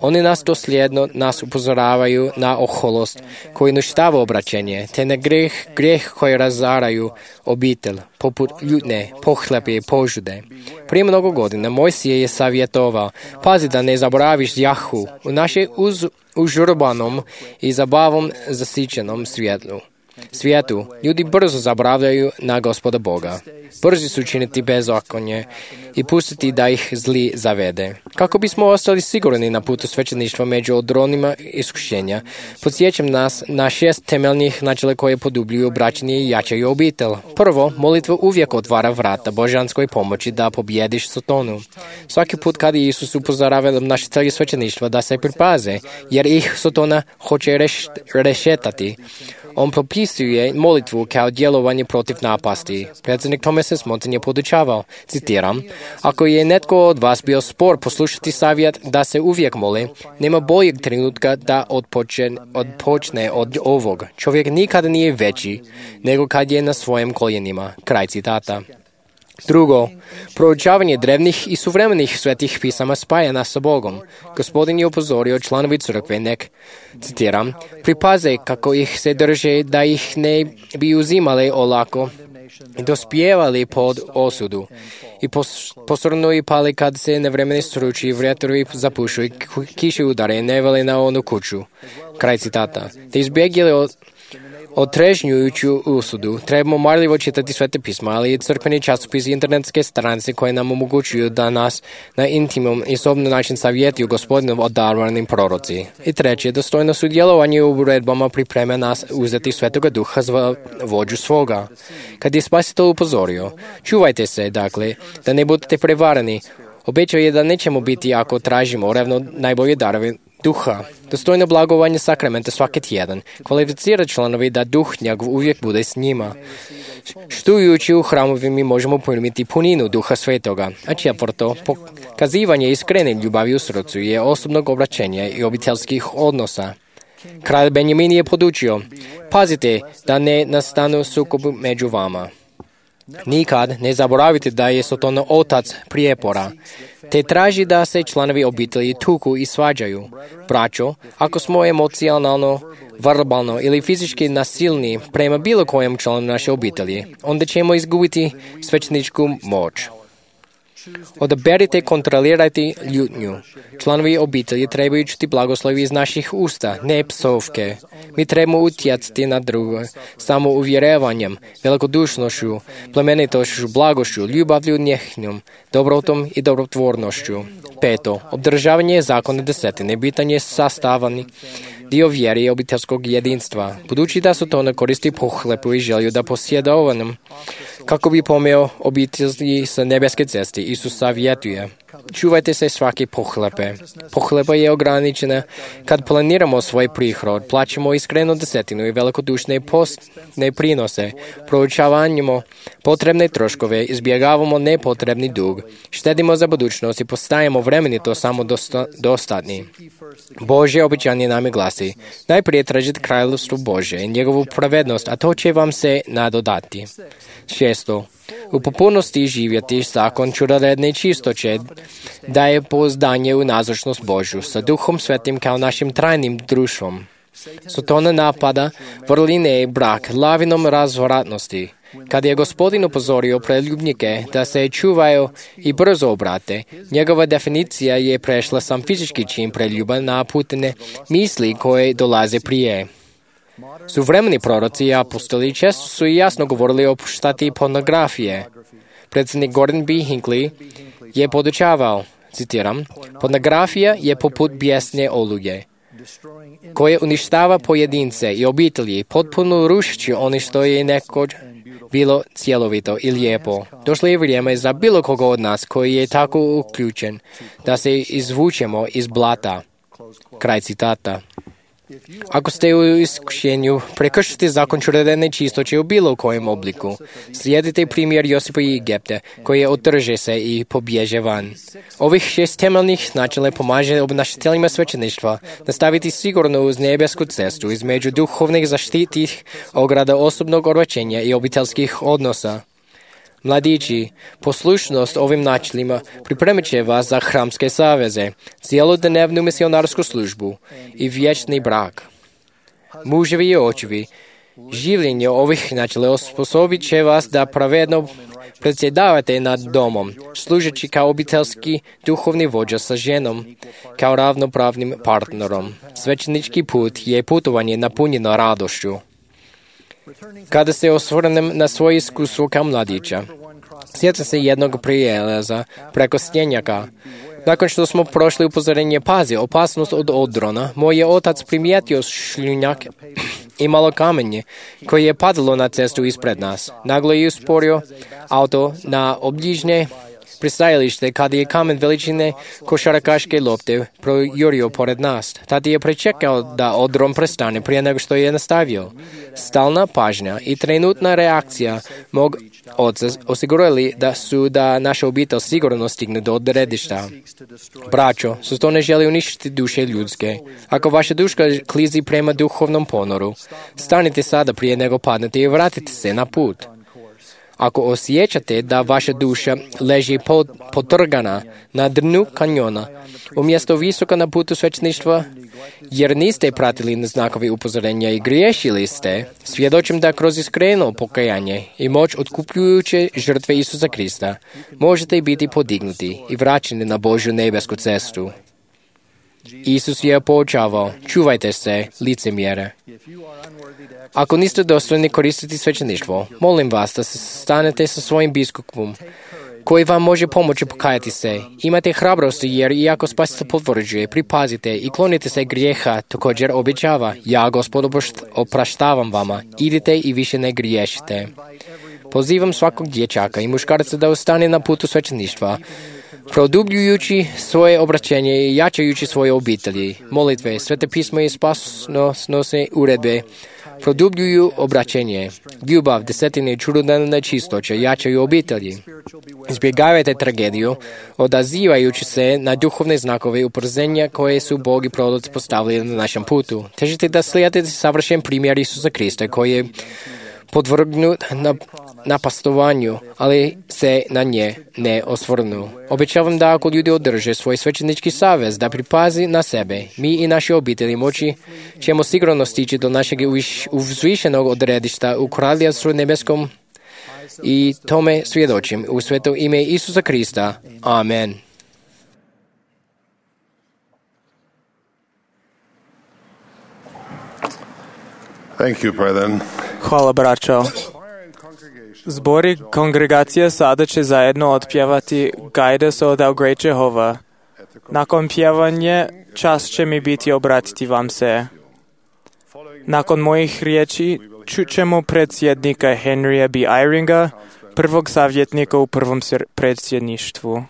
Speaker 6: Oni nas dosljedno nas upozoravaju na oholost koji uništava obraćenje, te na greh, greh koji razaraju obitelj, poput ljutne, pohlepe i požude. Prije mnogo godina Mojsije je savjetovao: pazi da ne zaboraviš Jahu u našem uz, užurbanom i zabavom zasićenom svijetu. Svijetu ljudi brzo zaboravljaju na Gospoda Boga. Brzi su činiti bezakonje i pustiti da ih zli zavede. Kako bismo ostali sigurni na putu svećeništva među odronima iskušenja, podsjećam nas na šest temeljnih načela koje produbljuju braćenje i jačaju obitelj. Prvo, molitva uvijek otvara vrata božanskoj pomoći da pobjediš Satanu. Svaki put kad je Isus upozoravao naše celje svećeništva da se pripaze, jer ih Satana hoće reš, rešetati, on propisuje molitvu kao djelovanje protiv napasti. Predsjednik Thomas Monson je podučavao, citiram: ako je netko od vas bio spor poslušati savjet da se uvijek moli, nema boljeg trenutka da odpočne, odpočne od ovog. Čovjek nikada nije veći nego kad je na svojim koljenima. Kraj citata. Drugo, proučavanje drevnih i suvremenih svetih pisama spaja nas sa Bogom. Gospodin je upozorio članovi crkve nek, citiram, pripaze kako ih se drže da ih ne bi uzimali olako i dospijevali pod osudu i posrnu i pali kad se nevremeni struči, vjetrovi zapušu i kiše udare ne vele na onu kuću. Kraj citata. Te izbjegli od Otrežnjujuću usudu, trebamo marljivo čitati svete pisma, ali i crkveni časopis i internetske stranice koje nam omogućuju da nas na intimom i osobno način savjetuju Gospodinom odarovanim proroci. I treće, dostojno sudjelovanje u uredbama pripreme nas uzeti Svetoga Duha za vođu svoga. Kad je Spasitelj upozorio: čuvajte se, dakle, da ne budete prevarani, obećao je da nećemo biti ako tražimo revno najbolje darove Duha. Dostojno blagovanje sakramenta svaki tjedan kvalificira članovi da Duh njegov uvijek bude s njima. Štujući u hramovi mi možemo primiti puninu Duha Svetoga. A četvrto, pokazivanje iskrene ljubavi u srcu je osobnog obraćenja i obiteljskih odnosa. Kralj Benjamin je podučio: pazite da ne nastanu sukobi među vama. Nikad ne zaboravite da je Satan otac prijepora, te traži da se članovi obitelji tuku i svađaju. Braćo, ako smo emocionalno, verbalno ili fizički nasilni prema bilo kojem članu naše obitelji, onda ćemo izgubiti svećeničku moć. Odaberite, kontrolirajte ljutnju. Članovi obitelji trebaju čuti blagoslovi iz naših usta, ne psovke. Mi trebamo utjecati na druge samo uvjerevanjem, velikodušnošću, plemenitošću, blagošću, ljubavlju, njehnjom, dobrotom i dobrotvornošću. Peto, obdržavanje zakona desetine, bitan je sastavani dio vjere i obiteljskog jedinstva. Budući da su to ne koristi pohlepu i želju da posjedovanom, kako bi pomeo obitelji sa nebeske ceste, Isus savjetuje: čuvajte se svake pohlepe. Pohlepa je ograničena kad planiramo svoj prihod, plaćamo iskrenu desetinu i velikodušne postne prinose, proučavamo potrebne troškove, izbjegavamo nepotrebni dug, štedimo za budućnost i postajemo vremenito samo dosta, dostatni. Božje obećanje nam glasi: najprije tražite kraljevstvo Božje i njegovu pravednost, a to će vam se nadodati. Šesto, u potpunosti živjeti zakon čudoredne čistoće, daje pouzdanje u nazočnost Božju sa Duhom Svetim kao našim trajnim društvom. Satana napada vrline i brak lavinom razvratnosti. Kad je Gospodin upozorio preljubnike da se čuvaju i brzo obrate, njegova definicija je prešla sam fizički čin preljuba na putne misli koje dolaze prije. Suvremeni proroci i apostoli često su i jasno govorili o šteti pornografije. Predsjednik Gordon B. Hinckley je podučavao, citiram, pornografija je poput bijesne oluge, koje uništava pojedince i obitelji, potpuno rušeći ono što je nekoć bilo cjelovito i lijepo. Došlo je vrijeme za bilo koga od nas koji je tako uključen da se izvučemo iz blata. Kraj citata. Ako ste u iskušenju, prekršite zakon čudotvorne čistoće u bilo kojem obliku. Slijedite primjer Josipa i Egipte, koji je otrže se i pobježe van. Ovih šest temeljnih načela pomaže obnašateljima svećeništva nastaviti sigurno uz nebesku cestu između duhovnih zaštitih ograda osobnog određenja i obiteljskih odnosa. Mladići, poslušnost ovim načelima pripremit će vas za hramske saveze, cijelodnevnu misionarsku službu i vječni brak. Muževi i očevi, življenje ovih načela osposobit će vas da pravedno predsjedavate nad domom, služeći kao obiteljski duhovni vođa sa ženom, kao ravnopravnim partnerom. Svećenički put je putovanje napunjeno radošću. Kada se osvrnem na svoje iskustvo kao mladića, sjećam se jednog prijelaza preko stjenjaka. Nakon što smo prošli upozorenje pazi, opasnost od odrona, moj je otac primijetio šljunjak i malo kamenje koje je padalo na cestu ispred nas. Naglo je usporio auto na obližnje pristajalište kada je kamen veličine košarkaške lopte projurio pored nas. Tada je pričekao da odron prestane prije nego što je nastavio. Stalna pažnja i trenutna reakcija mog oca osigurali da su da naša obitelj sigurno stigne do odredišta. Braćo, su to ne želi uništiti duše ljudske. Ako vaša duša klizi prema duhovnom ponoru, stanite sada prije nego padnete i vratite se na put. Ako osjećate da vaša duša leži pod, potrgana na dnu kanjona, umjesto visoka na putu svećeništva, jer niste pratili znakovi upozorenja i griješili ste, svjedočim da kroz iskreno pokajanje i moć otkupljujuće žrtve Isusa Krista možete biti podignuti i vraćeni na Božju nebesku cestu. Isus je poučavao, čuvajte se, licemjere. Ako niste dostojni koristiti svećeništvo, molim vas da se stanete sa svojim biskupom, koji vam može pomoći pokajati se. Imate hrabrosti jer iako Spasitelj potvrđuje, pripazite i klonite se grijeha, također obećava, ja Gospod opraštavam vama, idite i više ne griješite. Pozivam svakog dječaka i muškarca da ostane na putu svećeništva, produbljujući svoje obraćenje i jačajući svoje obitelji. Molitve, Svete pismo i spasonosne uredbe produbljuju obraćenje. Ljubav, desetine i čudotvorne čistoće jačaju obitelji. Izbjegavajte tragediju, odazivajući se na duhovne znakove upozorenja koje su Bog i proroci postavili na našem putu. Težite da slijedite savršen primjer Isusa Krista koji je podvrgnut na napastovanju, ali se na nje ne osvrnu. Obećavam da ako ljudi održe svoj svećenički savez, da pripazi na sebe, mi i naše obitelji moći ćemo sigurno stići do našeg uzvišenog odredišta u Kraljevstvu nebeskom i tome svjedočim u sveto ime Isusa Krista. Amen.
Speaker 1: Thank you, brethren.
Speaker 2: Hvala, braćo. Zbori kongregacije sada će zajedno otpjevati Guide us, O thou great Jehovah. Nakon pjevanje, čast će mi biti obratiti vam se. Nakon mojih riječi čućemo predsjednika Henrya B. Eyringa, prvog savjetnika u prvom predsjedništvu.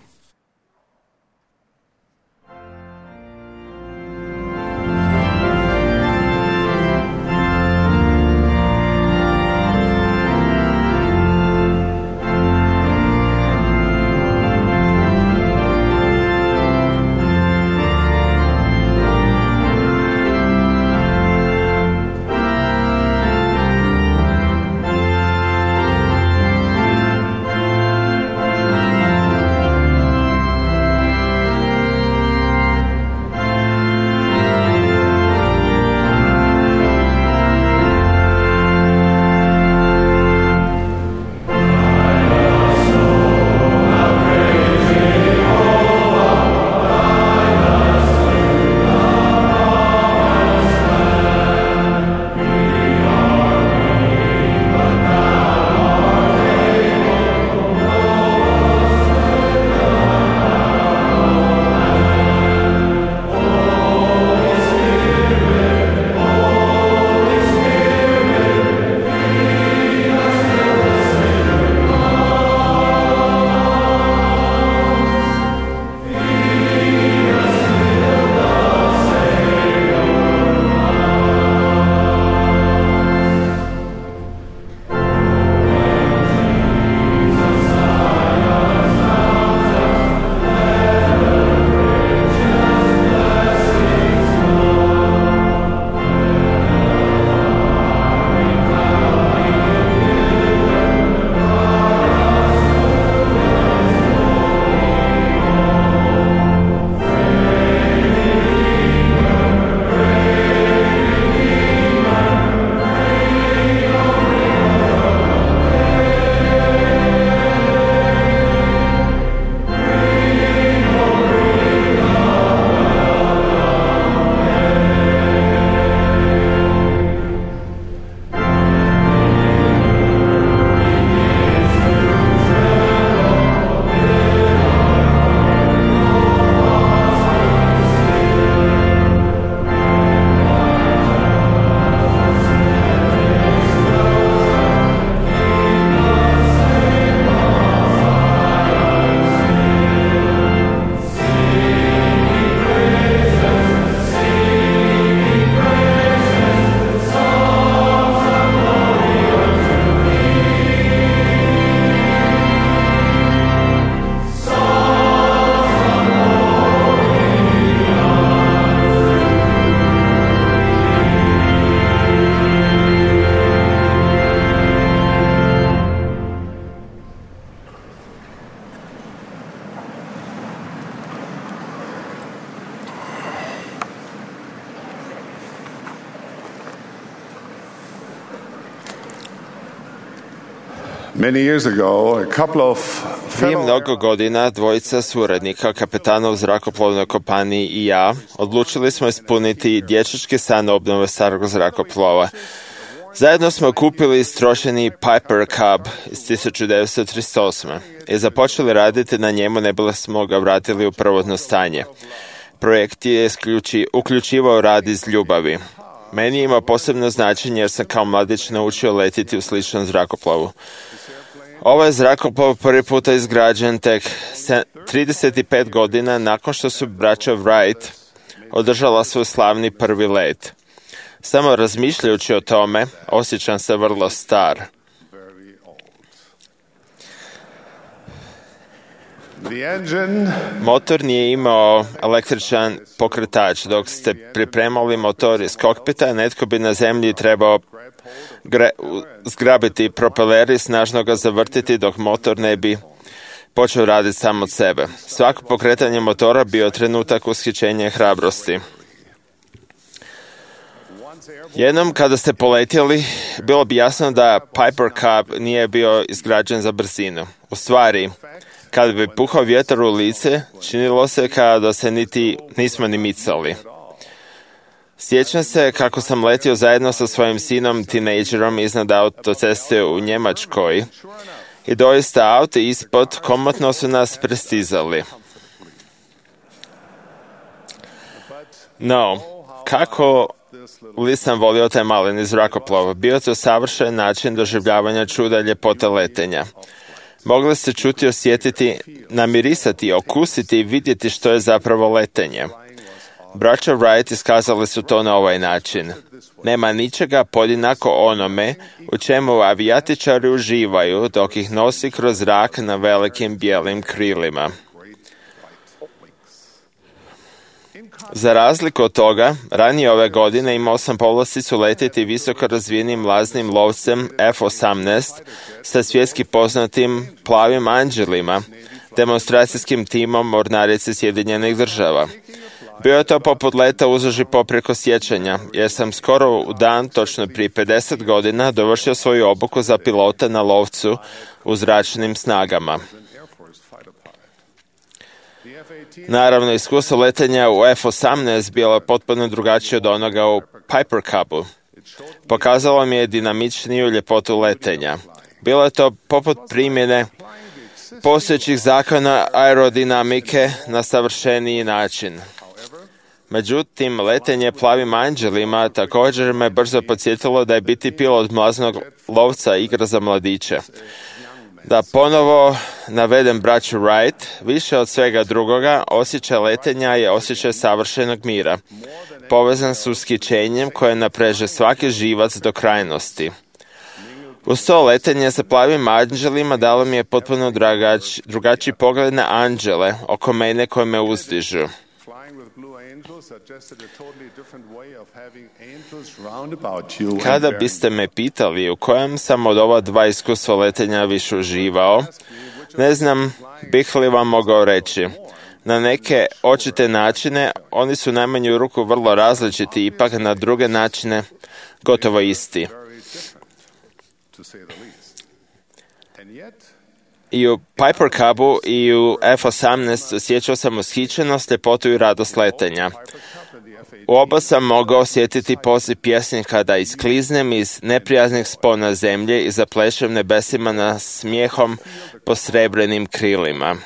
Speaker 1: Many years ago, a couple of
Speaker 4: Prije
Speaker 1: fellow
Speaker 4: mnogo godina dvojica suradnika, kapetana u zrakoplovnoj kompaniji i ja, odlučili smo ispuniti dječački san obnove starog zrakoplova. Zajedno smo kupili istrošeni Piper Cub iz tisuću devetsto trideset osme i započeli raditi na njemu ne bili smo ga vratili u prvotno stanje. Projekt je isključi, uključivao rad iz ljubavi. Meni ima posebno značenje jer sam kao mladić naučio letiti u sličnom zrakoplovu. Ovaj zrakoplov prvi puta izgrađen tek trideset pet godina nakon što su braća Wright održala svoj slavni prvi let. Samo razmišljajući o tome, osjećam se vrlo star.
Speaker 1: the engine
Speaker 4: Motor nije imao električan pokretač. Dok ste pripremali motor iz kokpita, netko bi na zemlji trebao gre, zgrabiti propeler i snažno ga zavrtiti dok motor ne bi počeo raditi sam od sebe. Svako pokretanje motora bio trenutak ushićenja i hrabrosti. Jednom kada ste poletjeli, bilo bi jasno da Piper Cub nije bio izgrađen za brzinu. U stvari, kada bi puhao vjetar u lice, činilo se kao da se niti nismo ni micali. Sjećam se kako sam letio zajedno sa svojim sinom, tinejdžerom, iznad autoceste u Njemačkoj i doista auti ispod komotno su nas prestizali. No, kako li sam volio taj maleni zrakoplov? Bio to savršen način doživljavanja čuda ljepote letenja. Mogli ste čuti, osjetiti, namirisati, okusiti i vidjeti što je zapravo letenje. Braća Wright iskazali su to na ovaj način. Nema ničega podjednako onome u čemu avijatičari uživaju dok ih nosi kroz zrak na velikim bijelim krilima. Za razliku od toga, ranije ove godine imao sam povlasticu letjeti visoko razvijenim mlaznim lovcem F osamnaest sa svjetski poznatim plavim anđelima, demonstracijskim timom mornarice Sjedinjenih država. Bio je to poput leta uzduž i poprijeko sjećanja, jer sam skoro u dan, točno prije pedeset godina, dovršio svoju obuku za pilota na lovcu u zračnim snagama. Naravno, iskustvo letenja u F osamnaest bilo je potpuno drugačije od onoga u Piper Cubu. Pokazalo mi je dinamičniju ljepotu letenja. Bilo je to poput primjene postojećih zakona aerodinamike na savršeniji način. Međutim, letenje plavim anđelima također me brzo podsjetilo da je biti pilot mlaznog lovca igra za mladiće. Da ponovo navedem braću Wright, više od svega drugoga, osjećaj letenja je osjećaj savršenog mira, povezan s ushićenjem koje napreže svaki živac do krajnosti. Uz to letenje sa plavim anđelima dalo mi je potpuno drugači, drugačiji pogled na anđele oko mene koje me uzdižu. Kada biste me pitali u kojem sam od ova dva iskustva letenja više uživao, ne znam bih li vam mogao reći. Na neke očite načine oni su najmanju ruku vrlo različiti, ipak na druge načine gotovo isti. I u Piper Cubu i u F osamnaest osjećao sam ushićenost, ljepotu i radost letenja. U oba sam mogao osjetiti poziv pjesnika da iskliznem iz neprijaznih spona zemlje i zaplešem nebesima na smijehom po srebrenim krilima.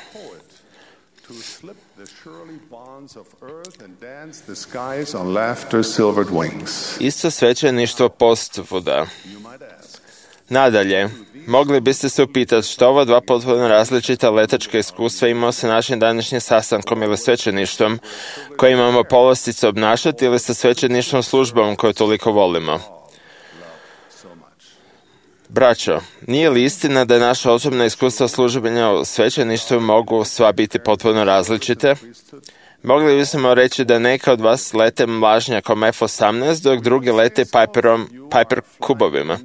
Speaker 4: Isto svećeništvo postvuda. Nadalje, mogli biste se upitati što ova dva potpuno različita letačka iskustva imao sa našim današnjim sastankom ili svećeništvom koje imamo povlastice obnašati ili sa svećeništvom službom koju toliko volimo. Braćo, nije li istina da naša osobna iskustva služenja u svećeništvu mogu sva biti potpuno različite? Mogli bismo reći da neka od vas lete mlažnjakom F osamnaest, dok drugi lete Piperom, Piper Cubovima.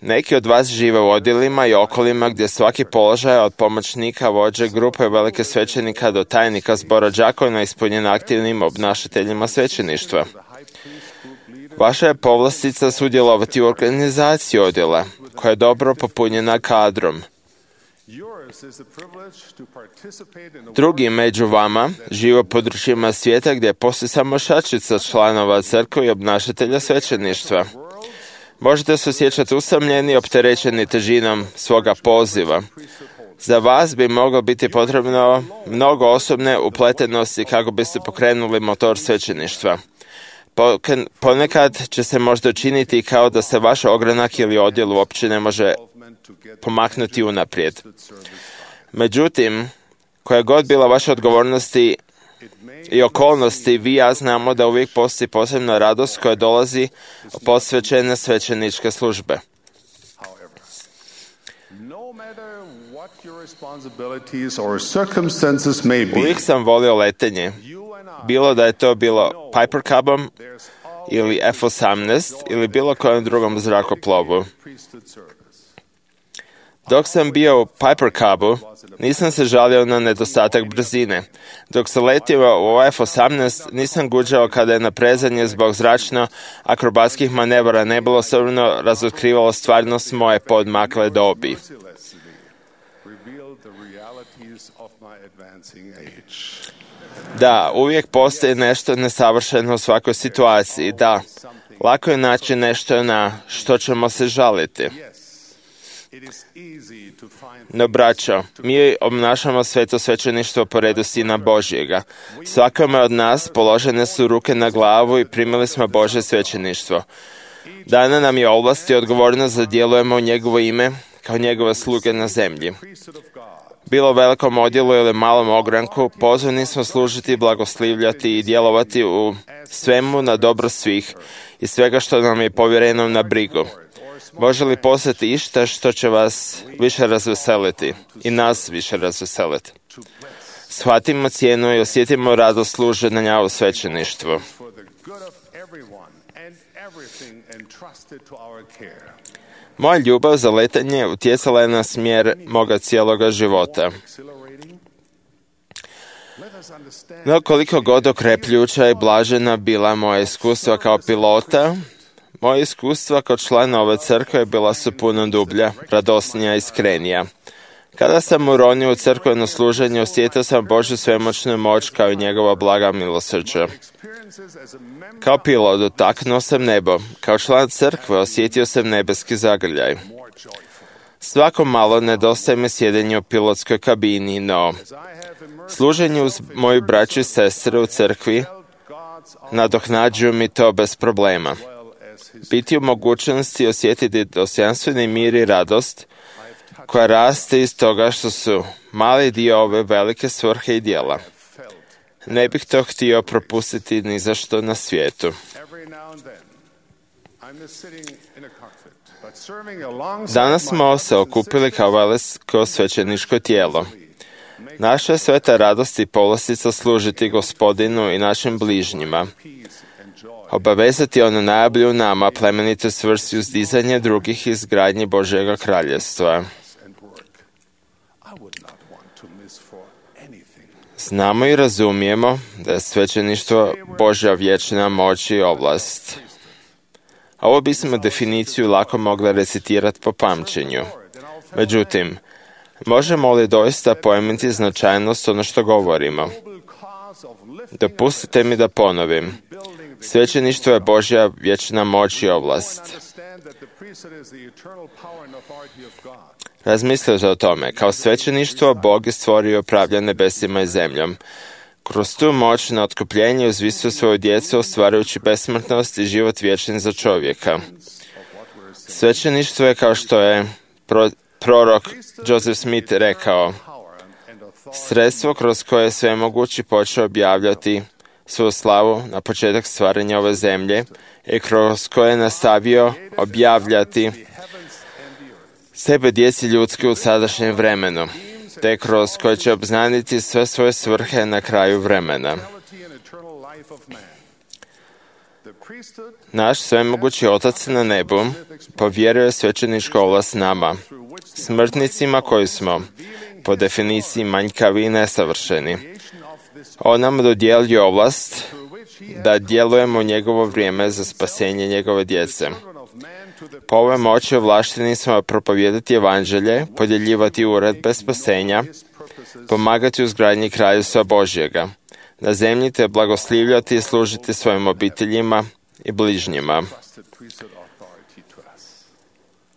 Speaker 4: Neki od vas žive u odjelima i okolima gdje svaki položaj od pomoćnika vođe grupe velike svećenika do tajnika zbora đakona ispunjen aktivnim obnašateljima svećeništva. Vaša je povlastica sudjelovati u organizaciji odjela. koja je dobro popunjena kadrom. Drugi među vama žive u područjima svijeta gdje postoji samo šačica članova crkve i obnašatelja svećeništva. Možete se osjećati usamljeni i opterećeni težinom svoga poziva. Za vas bi moglo biti potrebno mnogo osobne upletenosti kako biste pokrenuli motor svećeništva. Ponekad će se možda učiniti kao da se vaš ogranak ili odjel uopće ne može pomaknuti unaprijed. Međutim, koja god bila vaša odgovornosti i okolnosti, vi i ja znamo da uvijek postoji posebna radost koja dolazi od posvećene svećeničke službe. Uvijek sam volio letenje, bilo da je to bilo Piper Cubom ili F osamnaest ili bilo kojem drugom zrakoplovu. Dok sam bio u Piper Cubu, nisam se žalio na nedostatak brzine. Dok sam letio u F osamnaest, nisam guđao kada je naprezanje zbog zračno akrobatskih manevara nebilo osobno razotkrivalo stvarnost moje podmakle dobi. Da, uvijek postoji nešto nesavršeno u svakoj situaciji. Da, lako je naći nešto na što ćemo se žaliti. No, braćo, mi obnašamo sveto svećeništvo po redu Sina Božjega. Svakome od nas položene su ruke na glavu i primili smo Božje svećeništvo. Dana nam je ovlast i odgovornost da djelujemo u njegovo ime kao njegove sluge na zemlji. Bilo velikom odjelu ili malom ogranku, pozvani smo služiti, blagoslivljati i djelovati u svemu na dobro svih i svega što nam je povjereno na brigu. Može li postati išta što će vas više razveseliti i nas više razveseliti? Shvatimo cijenu i osjetimo radost služenja u svećeništvu. Moja ljubav za letanje utjecala je na smjer moga cijeloga života. No koliko god okrepljuća i blažena bila moja iskustva kao pilota, moje iskustva kao člana ove crkve bila su puno dublja, radosnija i iskrenija. Kada sam uronio u crkveno služenje, osjetio sam Božju svemoćnu moć kao i njegova blaga milosrđa. Kao pilot dotaknuo sam nebo. Kao član crkve osjetio sam nebeski zagrljaj. Svako malo nedostaje mi sjedenje u pilotskoj kabini, no služenje uz moju braću i sestre u crkvi nadoknađuju mi to bez problema. Biti u mogućnosti osjetiti dostojanstveni mir i radost koja raste iz toga što su mali dio ove velike svrhe i djela. Ne bih to htio propustiti ni za što na svijetu. Danas smo se okupili kao veliko svećeničko tijelo. Naša je sveta radost i povlastica služiti Gospodinu i našim bližnjima. Obavezati ono najbolje u nama, plemenito svrsi uzdizanje drugih i izgradnje Božjega kraljevstva. Znamo i razumijemo da je svećeništvo Božja vječna moć i ovlast. Ovo bismo definiciju lako mogli recitirati po pamćenju. Međutim, možemo li doista pojmiti značajnost ono što govorimo? Dopustite mi da ponovim. Svećeništvo je Božja vječna moć i ovlast. Razmislite o tome. Kao svećeništvo Bog je stvorio i upravlja nebesima i zemljom. Kroz tu moć na otkupljenje uzvisio svoju djecu, ostvarujući besmrtnost i život vječni za čovjeka. Svećeništvo je, kao što je pro, prorok Joseph Smith rekao, sredstvo kroz koje je svemogući počeo objavljati svoju slavu na početak stvaranja ove zemlje i kroz koje je nastavio objavljati sebe djeci ljudske u sadašnjem vremenu, te kroz koje će obznaniti sve svoje svrhe na kraju vremena. Naš svemogući Otac na nebu povjerio je svećeničku ovlast nama, smrtnicima koji smo, po definiciji, manjkavi i nesavršeni. On nam dodijelio ovlast da djelujemo u njegovo vrijeme za spasenje njegove djece. Po ovoj moći ovlašteni smo propovijedati evanđelje, podjeljivati uredbe spasenja, pomagati u izgradnji kraljevstva Božjega, na zemlji te blagoslivljati i služiti svojim obiteljima i bližnjima.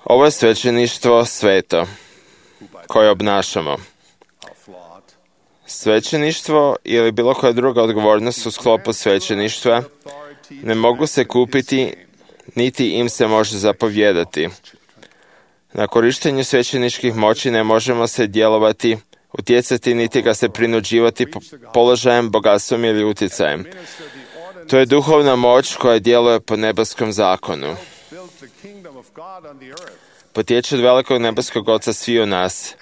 Speaker 4: Ovo je svećeništvo sveto koje obnašamo. Svećeništvo ili bilo koja druga odgovornost u sklopu svećeništva ne mogu se kupiti, niti im se može zapovjedati. Na korištenju svećeničkih moći ne možemo se djelovati, utjecati, niti ga se prinuđivati položajem, bogatstvom ili utjecajem. To je duhovna moć koja djeluje po nebeskom zakonu. Potječe od velikog nebeskog Oca sviju nas.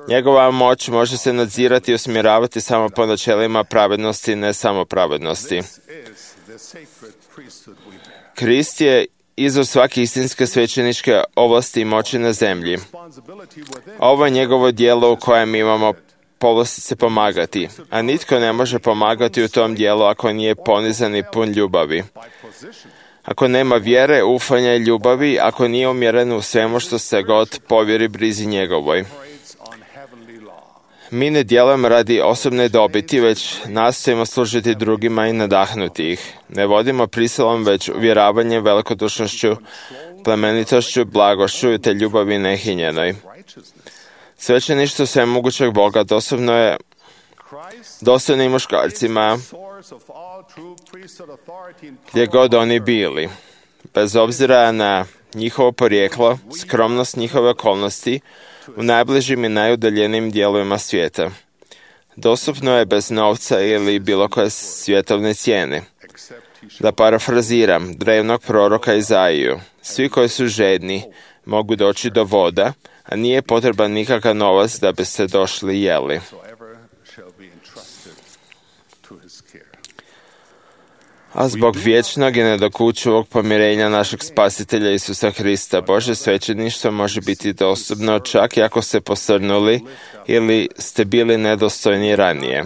Speaker 4: Njegova moć može se nadzirati i usmjeravati samo po načelima pravednosti, ne samo pravednosti. Krist je izvor svake istinske svećeničke ovlasti i moći na zemlji. Ovo je njegovo djelo u kojem imamo povlastice pomagati, a nitko ne može pomagati u tom dijelu ako nije ponizan i pun ljubavi. Ako nema vjere, ufanja i ljubavi, ako nije umjeren u svemu što se god povjeri brizi njegovoj. Mi ne djelujemo radi osobne dobiti, već nastojimo služiti drugima i nadahnuti ih. Ne vodimo prisilom, već uvjeravanjem, velikodušnošću, plemenitošću, blagošću te ljubavi nehinjenoj. Svećeništvo svemogućeg Boga dostupno je dostojnim muškarcima gdje god oni bili, bez obzira na njihovo porijeklo, skromnost njihove okolnosti, u najbližim i najudaljenijim dijelovima svijeta. Dostupno je bez novca ili bilo koje svjetovne cijene. Da parafraziram drevnog proroka Izaiju, svi koji su žedni mogu doći do voda, a nije potreban nikakav novac da bi se došli i jeli. A zbog vječnog i nedokučivog pomirenja našeg Spasitelja Isusa Hrista, Božje svećeništvo može biti dostupno čak i ako ste posrnuli ili ste bili nedostojni ranije.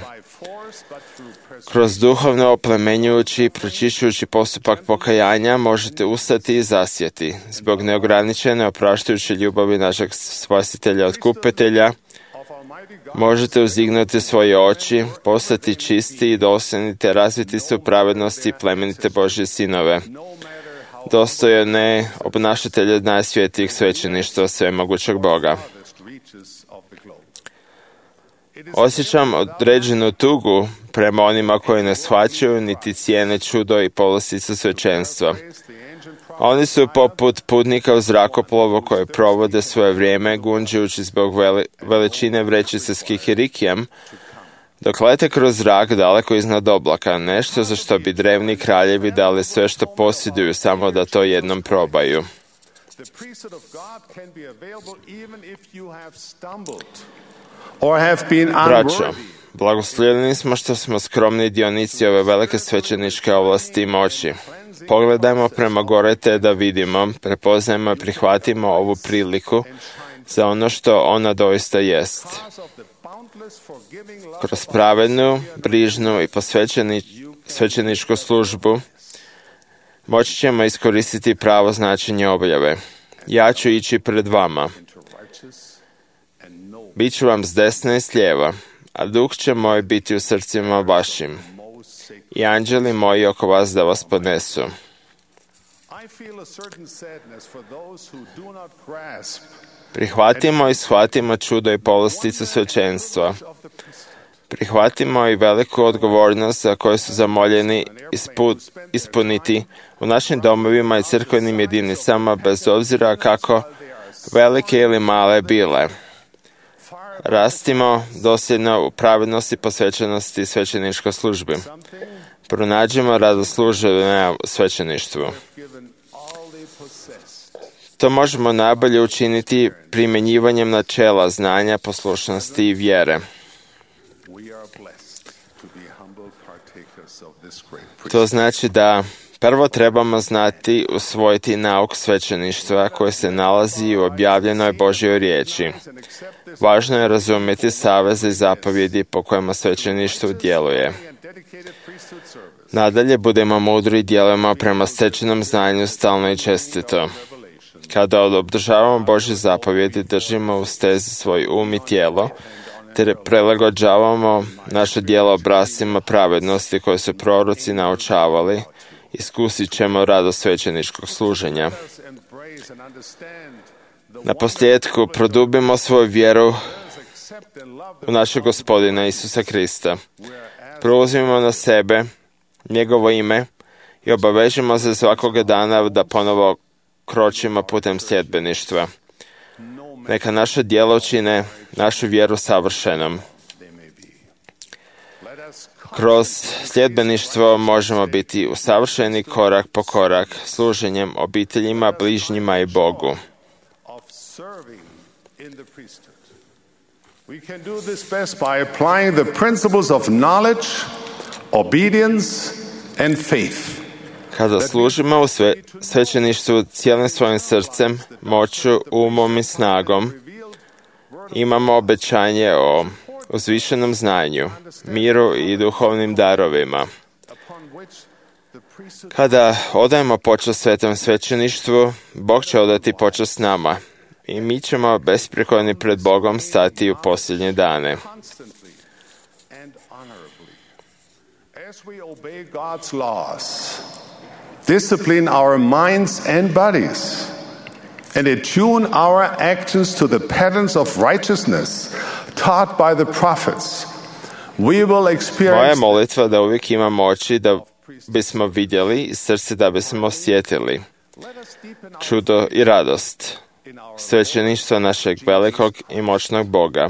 Speaker 4: Kroz duhovno oplemenjujući i pročišćujući postupak pokajanja možete ustati i zasjeti. Zbog neograničene opraštajuće ljubavi našeg Spasitelja Otkupitelja možete uzdignuti svoje oči, postati čisti i dosljedni te razviti se u pravednosti i plemenite Božje sinove. Dostojne obnašatelje najsvjetijih svećeništva svemogućeg Boga. Osjećam određenu tugu prema onima koji ne shvaćaju niti cijene čudo i povlastice svećenstva. Oni su poput putnika u zrakoplovu koji provode svoje vrijeme gunđujući zbog veli, veličine vrećice s kikirikijem, dok lete kroz zrak daleko iznad oblaka, nešto za što bi drevni kraljevi dali sve što posjeduju samo da to jednom probaju. Braćo, blagoslovljeni smo što smo skromni dionici ove velike svećeničke ovlasti i moći. Pogledajmo prema gore te da vidimo, prepoznajmo i prihvatimo ovu priliku za ono što ona doista jest. Kroz pravednu, brižnu i posvećeni, svećeničku službu moći ćemo iskoristiti pravo značenje objave. Ja ću ići pred vama. Biću vam s desna i s lijeva, a duh će moj biti u srcima vašim i anđeli moji oko vas da vas podnesu. Prihvatimo i shvatimo čudo i povlasticu svećenstva. Prihvatimo i veliku odgovornost za koju su zamoljeni ispu, ispuniti u našim domovima i crkvenim jedinicama, bez obzira kako velike ili male bile. Rastimo dosljedno u pravednosti, posvećenosti i svećeničkoj službi. Pronađimo radosluženje u svećeništvu. To možemo najbolje učiniti primjenjivanjem načela znanja, poslušnosti i vjere. To znači da prvo trebamo znati usvojiti nauk svećeništva koji se nalazi u objavljenoj Božjoj riječi. Važno je razumjeti saveze i zapovjedi po kojima svećeništvo djeluje. Nadalje budemo mudri i djelujemo prema stečenom znanju stalno i čestito. Kada obdržavamo Božje zapovjedi, držimo u stezi svoj um i tijelo, te prilagođavamo naše djela obrascima pravednosti koje su proroci naučavali, iskusit ćemo radost svećeničkog služenja. Na posljedku produbimo svoju vjeru u našeg Gospodina Isusa Krista. Preuzmimo na sebe njegovo ime i obavežimo se svakoga dana da ponovo kročimo putem sljedbeništva. Neka naše djela čine našu vjeru savršenom. Kroz sljedbeništvo možemo biti usavršeni korak po korak služenjem obiteljima, bližnjima i Bogu.
Speaker 1: We can do this best by applying the principles of knowledge, obedience and faith.
Speaker 4: Kada služimo u sve, svećeništvu cijelim svojim srcem, moću, umom i snagom, imamo obećanje o uzvišenom znanju, miru i duhovnim darovima. Kada odajemo počast svetom svećeništvu, Bog će odati počast nama i mi ćemo besprijekorni pred Bogom stati u posljednje dane.
Speaker 1: As we obey God's laws, discipline our minds and bodies, and attune our actions to the patterns of righteousness taught by the prophets, we will experience...
Speaker 4: Moja molitva da uvijek imamo oči da bismo vidjeli i srce da bismo osjetili čudo i radost svećeništva našeg velikog i moćnog Boga.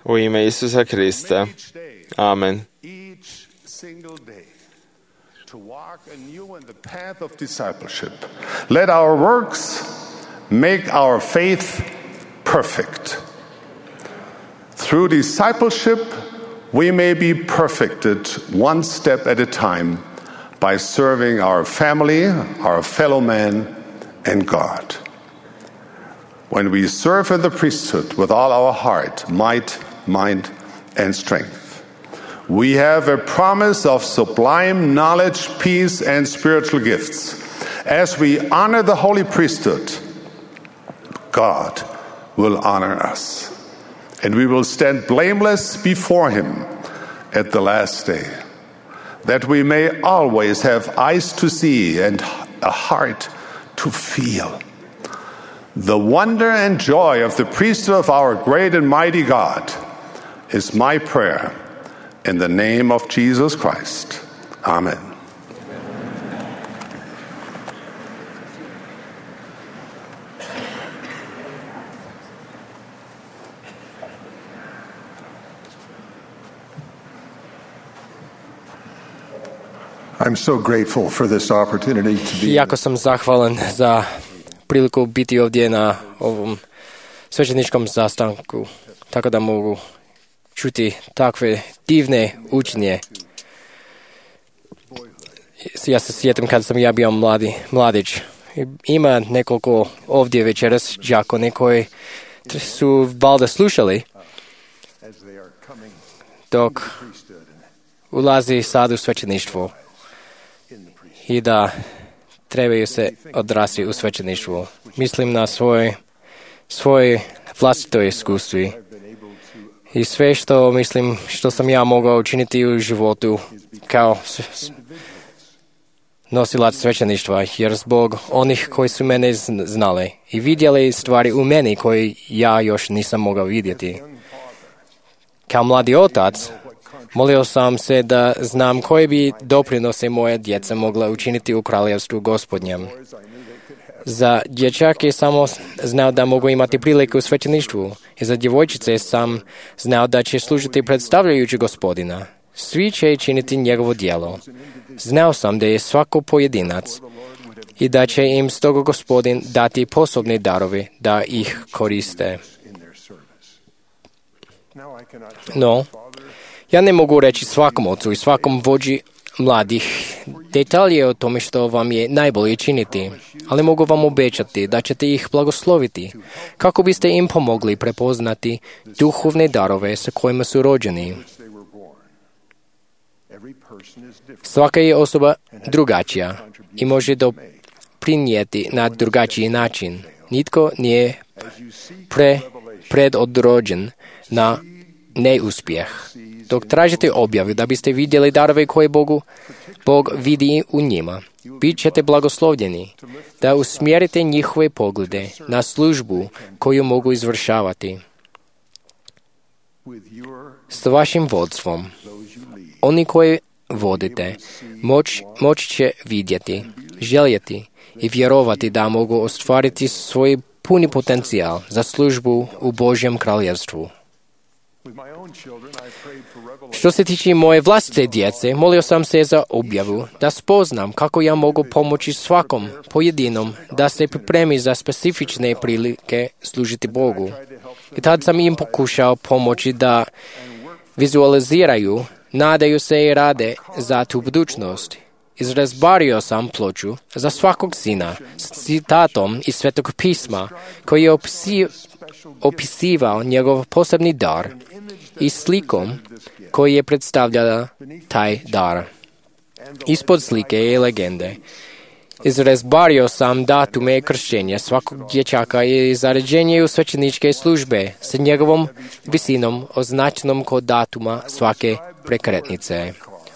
Speaker 4: U ime Isusa Krista. Amen.
Speaker 1: To walk anew in the path of discipleship. Let our works make our faith perfect. Through discipleship, we may be perfected one step at a time by serving our family, our fellow man, and God. When we serve in the priesthood with all our heart, might, mind, and strength, we have a promise of sublime knowledge, peace, and spiritual gifts. As we honor the holy priesthood, God will honor us, and we will stand blameless before Him at the last day, that we may always have eyes to see and a heart to feel the wonder and joy of the priesthood of our great and mighty God is my prayer. In the name of Jesus Christ. Amen.
Speaker 7: I'm so grateful for this opportunity to be.
Speaker 6: Jako sam zahvalan za priliku biti ovdje na ovom svećeničkom sastanku, tako da mogu čuti takve divne učenje. Ja se sjetim kad sam ja bio mladi, mladić. Ima nekoliko ovdje večeras đakoni koji su valjda slušali dok ulazi sad u svećeništvo i da trebaju se odrasti u svećeništvu. Mislim na svoje, svoje vlastito iskustvo i sve što mislim što sam ja mogao učiniti u životu kao nosilac svećeništva, jer zbog onih koji su mene znali i vidjeli stvari u meni koje ja još nisam mogao vidjeti. Kao mladi otac, molio sam se da znam koje bi doprinose moje djeca mogla učiniti u kraljevstvu Gospodnjem. Za dječake samo znao da mogu imati priliku u svećeništvu i za djevojčice sam znao da će služiti predstavljajući Gospodina. Svi će činiti njegovo djelo. Znao sam da je svako pojedinac i da će im stoga Gospodin dati posobne darove da ih koriste. No, ja ne mogu reći svakom ocu i svakom vođi mladih detalje o tome što vam je najbolje činiti, ali mogu vam obećati da ćete ih blagosloviti kako biste im pomogli prepoznati duhovne darove sa kojima su rođeni. Svaka je osoba drugačija i može doprinijeti na drugačiji način. Nitko nije pre, predodrođen na neuspjeh. Dok tražite objavu da biste vidjeli darove koje Bogu, Bog vidi u njima, bit ćete blagoslovljeni da usmjerite njihove poglede na službu koju mogu izvršavati. S vašim vodstvom, oni koji vodite, moć, moć će vidjeti, željeti i vjerovati da mogu ostvariti svoj puni potencijal za službu u Božjem kraljevstvu. Što se tiče moje vlastite djece, molio sam se za objavu da spoznam kako ja mogu pomoći svakom pojedinom da se pripremi za specifične prilike služiti Bogu. I tad sam im pokušao pomoći da vizualiziraju, nadaju se i rade za tu budućnost. Izrazbario sam ploču za svakog sina s citatom iz Svetog pisma koji je opisi, opisivao njegov posebni dar i slikom koji je predstavljala taj dar. Ispod slike je legende. Izrazbario sam datume kršćenja svakog dječaka i zaređenje u svećeničke službe sa njegovom visinom označenom kod datuma svake prekretnice.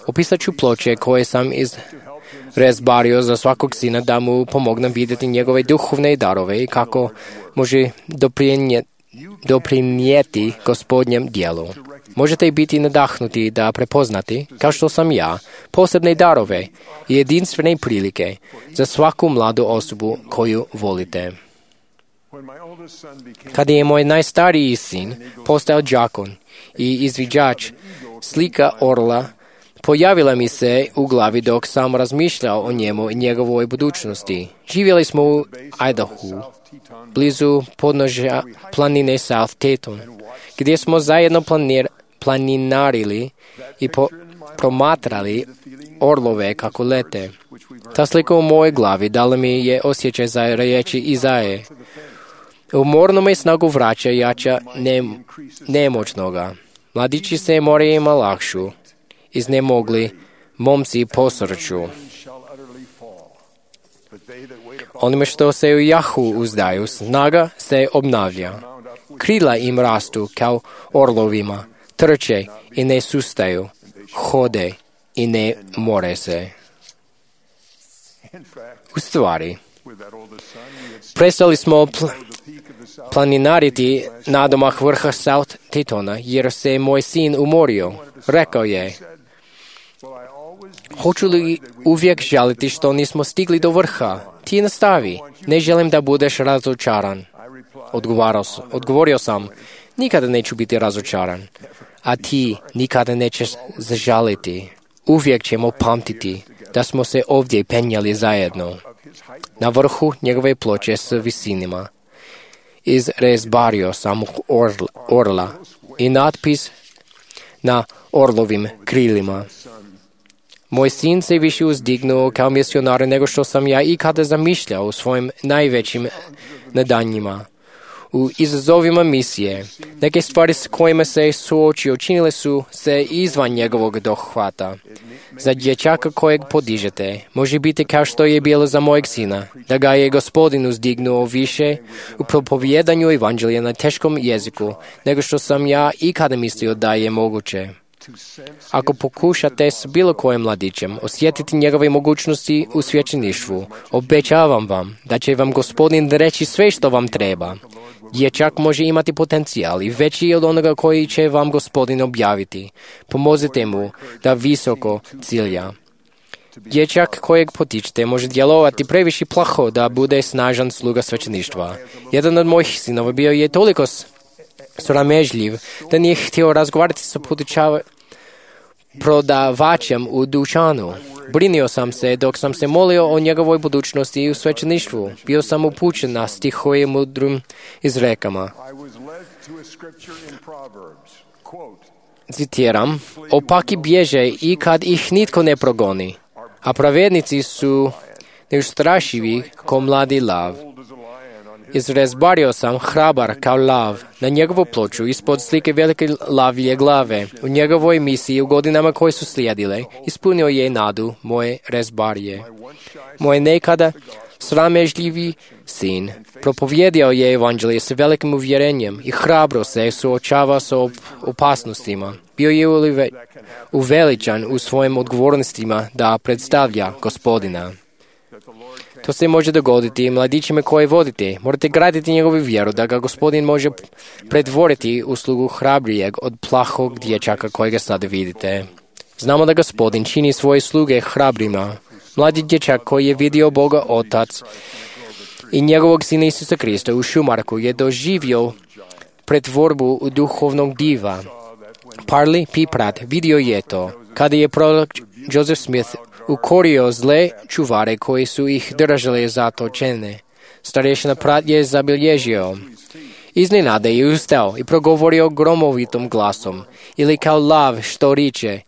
Speaker 6: Opisat ću ploče koje sam izrazbario za svakog sina da mu pomognem vidjeti njegove duhovne darove i kako može doprinijeti, doprinijeti Gospodnjem djelu. Možete biti nadahnuti da prepoznati, kao što sam ja, posebne darove i jedinstvene prilike za svaku mladu osobu koju volite. Kada je moj najstariji sin postao đakon i izviđač slika orla, pojavila mi se u glavi dok sam razmišljao o njemu i njegovoj budućnosti. Živjeli smo u Idahu, blizu podnožja planine South Teton, gdje smo zajedno planir, planinarili i po, promatrali orlove kako lete. Ta slika u mojoj glavi dala mi je osjećaj za riječi Izaje. Umorno me snagu vraća jača ne, nemoćnoga. Mladići se more ima lakšu, iznemogli momci posrću. Onime što se u Jahu uzdaju, snaga se obnavlja. Krila im rastu kao orlovima, trče i ne sustaju, hode i ne more se. U stvari, prestali smo pl- planinariti nadomak vrha South Tetona, jer se moj sin umorio. Rekao je, hoću li uvijek žaliti što nismo stigli do vrha? Ti nastavi, ne želim da budeš razočaran. Odgovorio sam, nikada neću biti razočaran, a ti nikada nećeš zažaliti. Uvijek ćemo pamtiti da smo se ovdje penjali zajedno. Na vrhu njegove ploče s visinima izrezbario sam orla, orla i natpis na orlovim krilima. Moj sin se više uzdignuo kao misionar nego što sam ja ikada zamišljao u svojim najvećim nadanjima. U izazovima misije, neke stvari s kojima se suočio činile su se izvan njegovog dohvata. Za dječaka kojeg podižete, može biti kao što je bilo za mojeg sina, da ga je Gospodin uzdignuo više u propovjedanju evanđelja na teškom jeziku, nego što sam ja ikada mislio da je moguće. Ako pokušate s bilo kojim mladićem osjetiti njegove mogućnosti u svećeništvu, obećavam vam da će vam Gospodin reći sve što vam treba. Dječak može imati potencijal i veći od onoga koji će vam Gospodin objaviti. Pomozite mu da visoko cilja. Dječak kojeg potičete može djelovati previše plaho da bude snažan sluga svećeništva. Jedan od mojih sinova bio je toliko sramežljiv da nije htio razgovarati sa potičava prodavačem u dućanu. Brinio sam se dok sam se molio o njegovoj budućnosti i u svećeništvu. Bio sam upućen na stihove mudrim izrekama. Citiram, opaki bježe i kad ih nitko ne progoni, a pravednici su neustrašivi ko mladi lav. Izrezbario sam hrabar kao lav. Na njegovu ploču ispod slike velike lavlje glave. U njegovoj misiji u godinama koje su slijedile ispunio je nadu moje rezbarije. Moj nekada sramežljivi sin propovjedio je evanđelje sa velikim uvjerenjem i hrabro se suočava sa op- opasnostima. Bio je uve- uveličan u svojim odgovornostima da predstavlja Gospodina. To se može dogoditi i mladićima koje vodite. Morate graditi njegovu vjeru da ga Gospodin može pretvoriti u slugu hrabrijeg od plahog dječaka kojega sada vidite. Znamo da Gospodin čini svoje sluge hrabrima. Mladi dječak koji je vidio Boga Otac i njegovog Sina Isusa Krista u Šumarku je doživio pretvorbu u duhovnog diva. Parley P. Pratt vidio je to kada je prorok Joseph Smith ukorio zle čuvare koji su ih držali zatočene. Starješina Pratt je zabilježio. Iznenada je ustao i progovorio gromovitom glasom, ili kao lav što riče,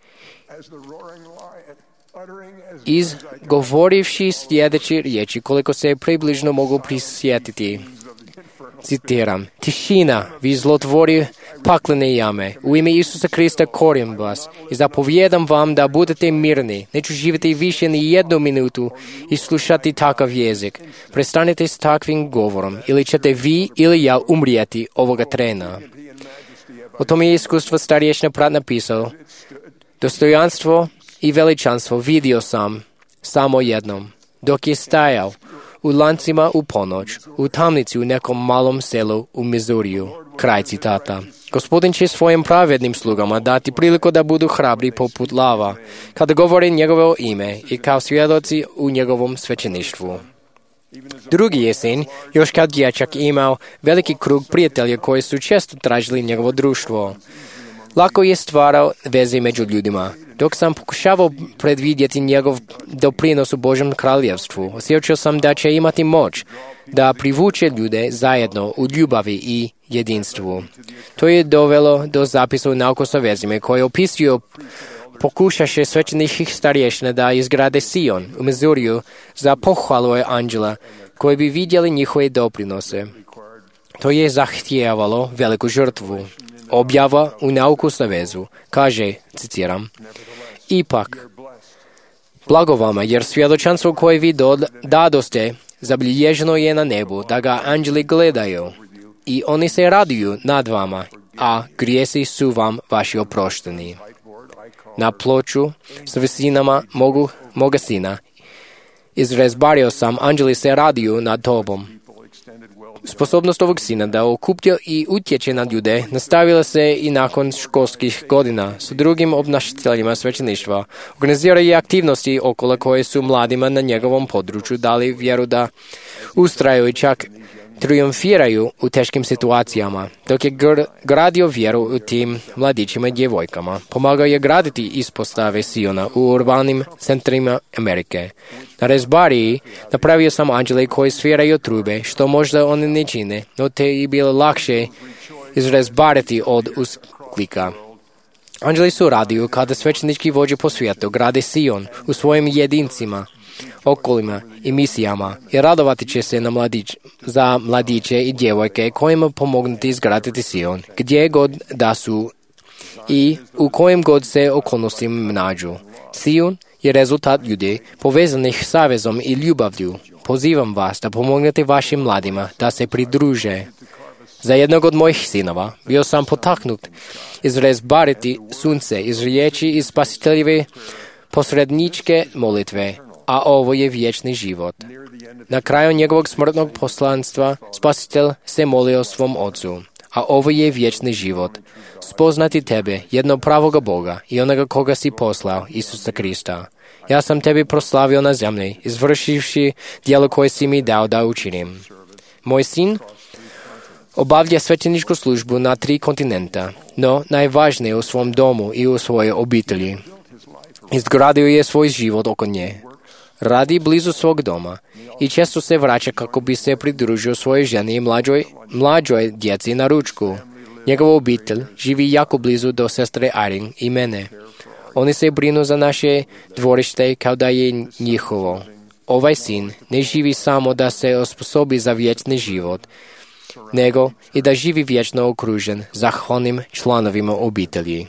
Speaker 6: izgovorivši sljedeće riječi koliko se približno mogu prisjetiti. Citiram, tišina, vi zlotvori paklene jame, u ime Isusa Krista korim vas i zapovjedam vam da budete mirni, neću živjeti više ni jednu minutu i slušati takav jezik. Prestanite s takvim govorom, ili ćete vi ili ja umrijeti ovoga trena. O tome je iskustvo starješina Pratt napisao, dostojanstvo i veličanstvo vidio sam samo jednom, dok je stajao u lancima u ponoć, u tamnici u nekom malom selu u Mizuriju. Kraj citata. Gospodin će svojim pravednim slugama dati priliku da budu hrabri poput lava, kada govore njegovo ime i kao svjedoci u njegovom svećeništvu. Drugi jesen, još kao dječak, imao veliki krug prijatelja koji su često tražili njegovo društvo. Lako je stvarao veze među ljudima. Dok sam pokušavao predvidjeti njegov doprinos u Božjem kraljevstvu, osjećao sam da će imati moć da privuče ljude zajedno u ljubavi i jedinstvu. To je dovelo do zapisa u Nauku sa vezima koji opisuju pokušaše svećenih starješina da izgrade Sion u Mizuriju za pohvalu anđela koji bi vidjeli njihove doprinose. To je zahtijevalo veliku žrtvu. Objava u Nauku sa vezu kaže, citiram, ipak, blago vama, jer svjedočanstvo koje vi dadoste zabilježeno je na nebu, da ga anđeli gledaju i oni se raduju nad vama, a grijesi su vam vaši oprošteni. Na ploču s visinama mogu, moga sina izrezbario sam, anđeli se raduju nad tobom. Sposobnost ovog sina da okuplja i utječe na ljude nastavila se i nakon školskih godina s drugim obnašateljima svećeništva. Organizira i aktivnosti okolo koje su mladima na njegovom području dali vjeru da ustraju i čak triumfiraju u teškim situacijama. Dok je gr- gradio vjeru u tim mladićima i djevojkama, pomagao je graditi ispostave Siona u urbanim centrima Amerike. Na rezbariji napravio sam anđele koji sviraju trube, što možda oni ne čine, no te je bilo lakše izrezbariti od usklika. Anđeli su radiju kada svećenički vođe po svijetu grade Sion u svojim jedincima, okolima i misijama i radovati će se na mladić, za mladiće i djevojke kojima pomognuti izgraditi Sion, gdje god da su i u kojim god se okolnostima nađu. Sion je rezultat ljudi povezanih savezom i ljubavlju. Pozivam vas da pomognete vašim mladima da se pridruže. Za jednog od mojih sinova bio sam potaknut izrezbariti sunce iz riječi iz spasiteljeve posredničke molitve, a ovo je vječni život. Na kraju njegovog smrtnog poslanstva spasitelj se molio svom ocu, a ovo je vječni život. Spoznati tebe, jednog pravoga Boga i onoga koga si poslao, Isusa Krista. Ja sam tebi proslavio na zemlji, izvršivši djelo koje si mi dao da učinim. Moj sin obavlja svećeničku službu na tri kontinenta, no najvažnije u svom domu i u svojoj obitelji. Izgradio je svoj život oko nje. Radi blizu svog doma i često se vraća kako bi se pridružio svojoj ženi i mlađoj, mlađoj djeci na ručku. Njegova obitelj živi jako blizu do sestre Irene i mene. Oni se brinu za naše dvorište kao da je njihovo. ovaj sin ne živi samo da se osposobi za vječni život, nego i da živi vječno okružen zahvalnim članovima obitelji.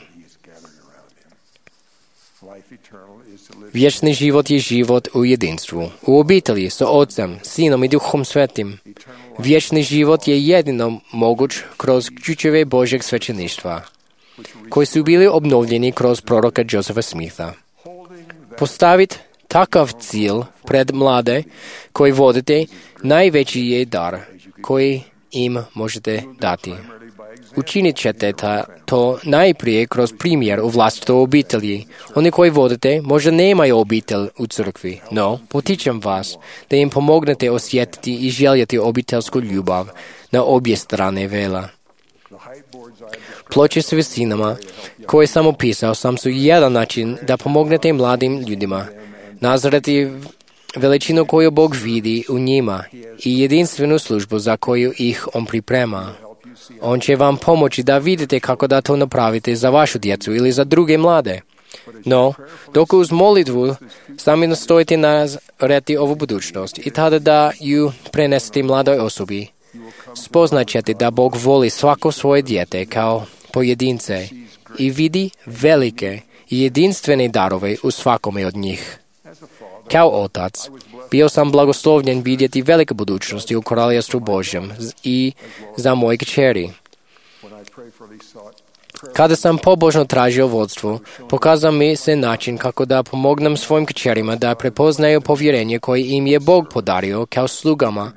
Speaker 6: Vječni život je život u jedinstvu, u obitelji sa Otcem, Sinom i Duhom Svetim. Vječni život je jedino moguć kroz ključeve Božjeg svećeništva, koji su bili obnovljeni kroz proroka Josefa Smitha. Postaviti takav cilj pred mlade koji vodite najveći je dar koji im možete dati. Učinit ćete ta, to najprije kroz primjer u vlastitoj obitelji. Oni koji vodite možda nemaju obitelj u crkvi, no potičem vas da im pomognete osjetiti i željeti obiteljsku ljubav na obje strane vela. Ploče s visinama koje sam opisao sam su jedan način da pomognete mladim ljudima nazreti veličinu koju Bog vidi u njima i jedinstvenu službu za koju ih On priprema. On će vam pomoći da vidite kako da to napravite za vašu djecu ili za druge mlade. No, dok uz molitvu sami nastojite nazreti ovu budućnost i tada da ju prenesete mladoj osobi, spoznat ćete da Bog voli svako svoje dijete kao pojedince i vidi velike i jedinstvene darove u svakome od njih. Kao otac, bio sam blagoslovljen vidjeti velike budućnosti u Kraljevstvu Božjem i za moje kćeri. Kada sam pobožno tražio vodstvo, pokazao mi se način kako da pomognem svojim kćerima da prepoznaju povjerenje koje im je Bog podario kao slugama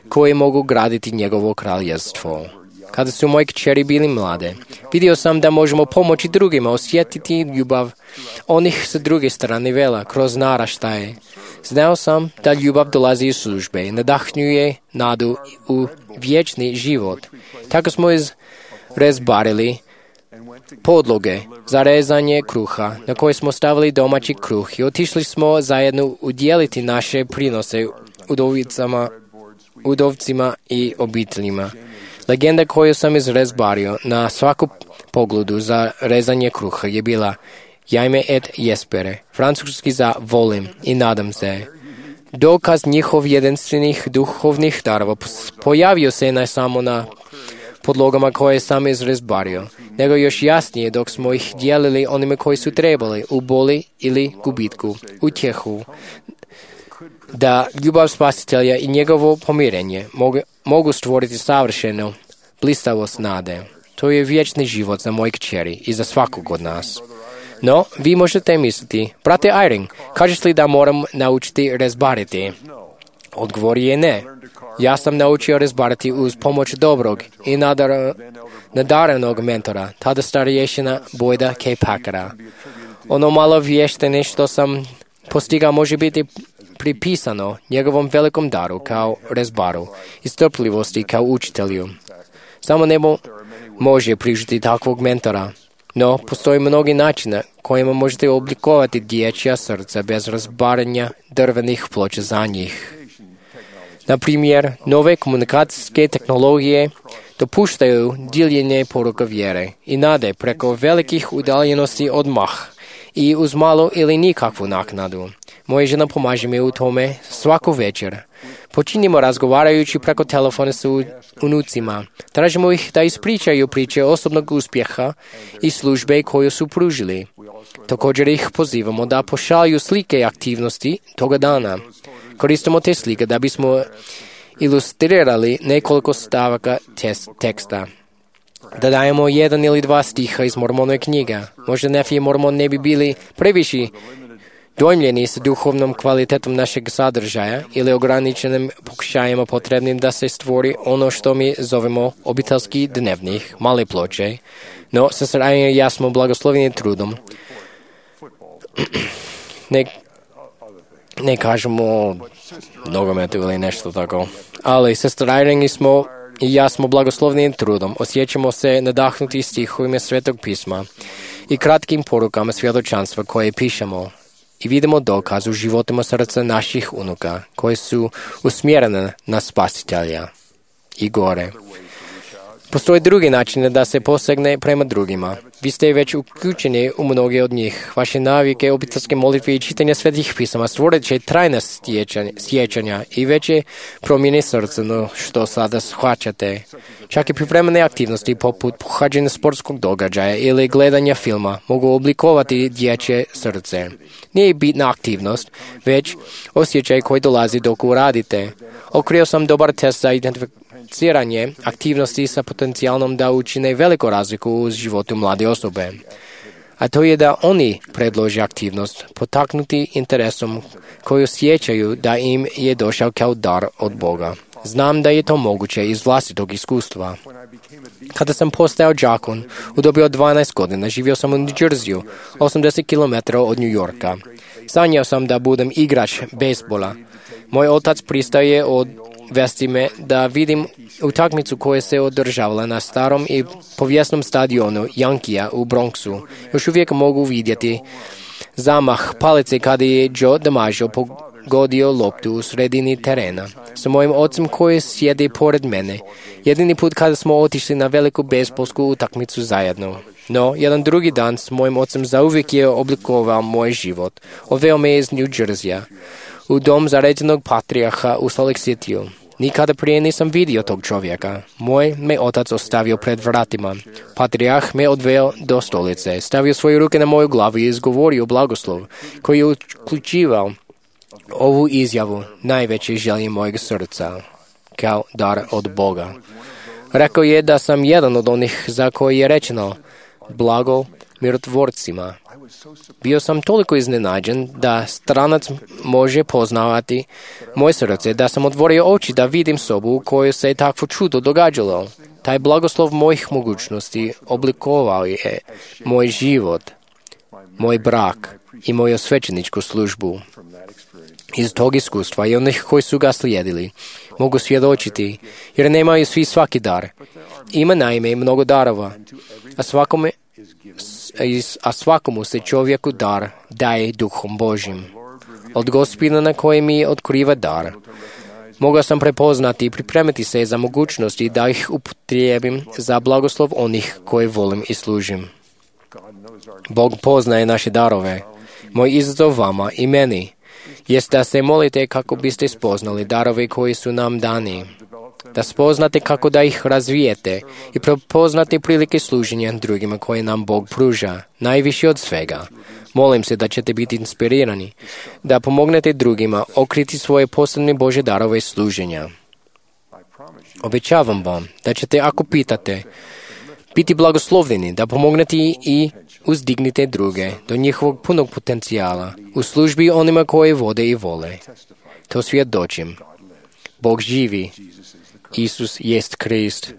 Speaker 6: koji mogu graditi njegovo kraljevstvo. Kada su moje kćeri bili mlade, vidio sam da možemo pomoći drugima osjetiti ljubav onih sa druge strane vela kroz naraštaje. Znao sam da ljubav dolazi iz službe i nadahnjuje nadu u vječni život. Tako smo izrezbarili podloge za rezanje kruha na koje smo stavili domaći kruh i otišli smo zajedno udjeliti naše prinose udovicama, udovcima i obiteljima. Legenda koju sam izrezbario na svaku pogledu za rezanje kruha je bila Jajme et jespere, francuski za volim i nadam se. Dokaz njihov jedinstvenih duhovnih darova pojavio se ne samo na podlogama koje sam izrezbario, nego još jasnije dok smo ih dijelili onime koji su trebali u boli ili gubitku, utjehu, da ljubav Spasitelja i njegovo pomirenje mogu, mogu stvoriti savršenu blistavost nade. To je vječni život za moje kćeri i za svakog od nas. No, vi možete misliti, brate Eyring, kažeš li da moram naučiti rezbariti? Odgovor je ne. Ja sam naučio rezbariti uz pomoć dobrog i nadar, nadarenog mentora, tada starješina Boyda K. Packera. Ono malo vještine što sam postigao može biti pripisano njegovom velikom daru kao rezbaru i strpljivosti kao učitelju. Samo nebo može prižiti takvog mentora. No, postoji mnogi načina kojima možete oblikovati dječja srca bez razbaranja drvenih ploča za njih. Na primjer, nove komunikacijske tehnologije dopuštaju diljenje poruka vjere i nade preko velikih udaljenosti odmah i uz malo ili nikakvu naknadu. Moja žena pomaže mi u tome svaku večer. Počinjemo razgovarajući preko telefona sa unucima. Tražimo ih da ispričaju priče osobnog uspjeha i službe koju su pružili. Također ih pozivamo da pošalju slike i aktivnosti toga dana. Koristimo te slike da bismo ilustrirali nekoliko stavaka teksta. Da dajemo jedan ili dva stiha iz Mormonove knjige. Možda Nefi i Mormon ne bi bili previše dojmljeni s duhovnom kvalitetom našeg sadržaja ili ograničenim pokušajima potrebnim da se stvori ono što mi zovemo obiteljski dnevnih, male ploče. No, sestra Eyring i ja smo blagosloveni trudom. Ne, ne kažemo nogometu ili nešto tako. Ali sestra Eyring smo i ja smo blagosloveni trudom. Osjećamo se nadahnuti stihovima Svetog pisma i kratkim porukama svjedočanstva koje pišemo. I vidimo dokaz u životima srca naših unuka koje su usmjerene na Spasitelja i gore. Postoje drugi načini da se posegne prema drugima. Vi ste već uključeni u mnoge od njih. Vaše navike, obiteljske molitve i čitanje svetih pisama stvorit će trajna sjećanja i veće promjene srca, no što sada shvaćate. Čak i pripremene aktivnosti poput pohađanja sportskog događaja ili gledanja filma mogu oblikovati dječje srce. Nije bitna aktivnost, već osjećaj koji dolazi dok uradite. Otkrio sam dobar test za identificiranje aktivnosti sa potencijalnom da učine veliku razliku u životu mlade osobe. A to je da oni predlože aktivnost, potaknuti interesom koji osjećaju da im je došao kao dar od Boga. Znam da je to moguće iz vlastitog iskustva. Kada sam postao đakon, u dobi od dvanaest godina, živio sam u New Jerseyu, osamdeset kilometara od New Yorka. Sanjao sam da budem igrač bejsbola. Moj otac pristaje odvesti me da vidim utakmicu koja se održavala na starom i povijesnom stadionu Yankija u Bronxu. Još uvijek mogu vidjeti zamah palice kada je Joe DiMaggio pogodio loptu u sredini terena. Sa mojim ocem koji sjedi pored mene. Jedini put kada smo otišli na veliku bejsbolsku utakmicu zajedno. No, jedan drugi dan s mojim ocem zauvijek je oblikovao moj život. Odveo me iz New Jerseya u dom zaređenog patrijarha u Salt Lake Cityu. Nikada prije nisam vidio tog čovjeka. Moj me otac ostavio pred vratima. Patrijarh me odveo do stolice, stavio svoje ruke na moju glavu i izgovorio blagoslov, koji je uključivao ovu izjavu, najveće želje mojeg srca, kao dar od Boga. Rekao je da sam jedan od onih za koji je rečeno blago mirotvorcima. Bio sam toliko iznenađen da stranac može poznavati moje srce, da sam otvorio oči da vidim sobu u kojoj se takvo čudo događalo. Taj blagoslov mojih mogućnosti oblikovao je moj život, moj brak i moju svećeničku službu. Iz tog iskustva i onih koji su ga slijedili mogu svjedočiti, jer nemaju svi svaki dar. Ima naime mnogo darova, a svakome a svakomu se čovjeku dar daje Duhom Božim. Od Gospodina na koji mi otkriva dar, mogao sam prepoznati i pripremiti se za mogućnosti da ih upotrijebim za blagoslov onih koje volim i služim. Bog poznaje naše darove. Moj izazov vama i meni jest da se molite kako biste spoznali darove koji su nam dani, da spoznate kako da ih razvijete i prepoznate prilike služenja drugima koje nam Bog pruža, najviše od svega. Molim se da ćete biti inspirirani, da pomognete drugima okriti svoje posebne Božje darove služenja. Obećavam vam da ćete, ako pitate, biti blagoslovljeni, da pomognete i uzdignite druge do njihovog punog potencijala u službi onima koje vode i vole. To svjedočim. Bog živi. Isus jest Krist.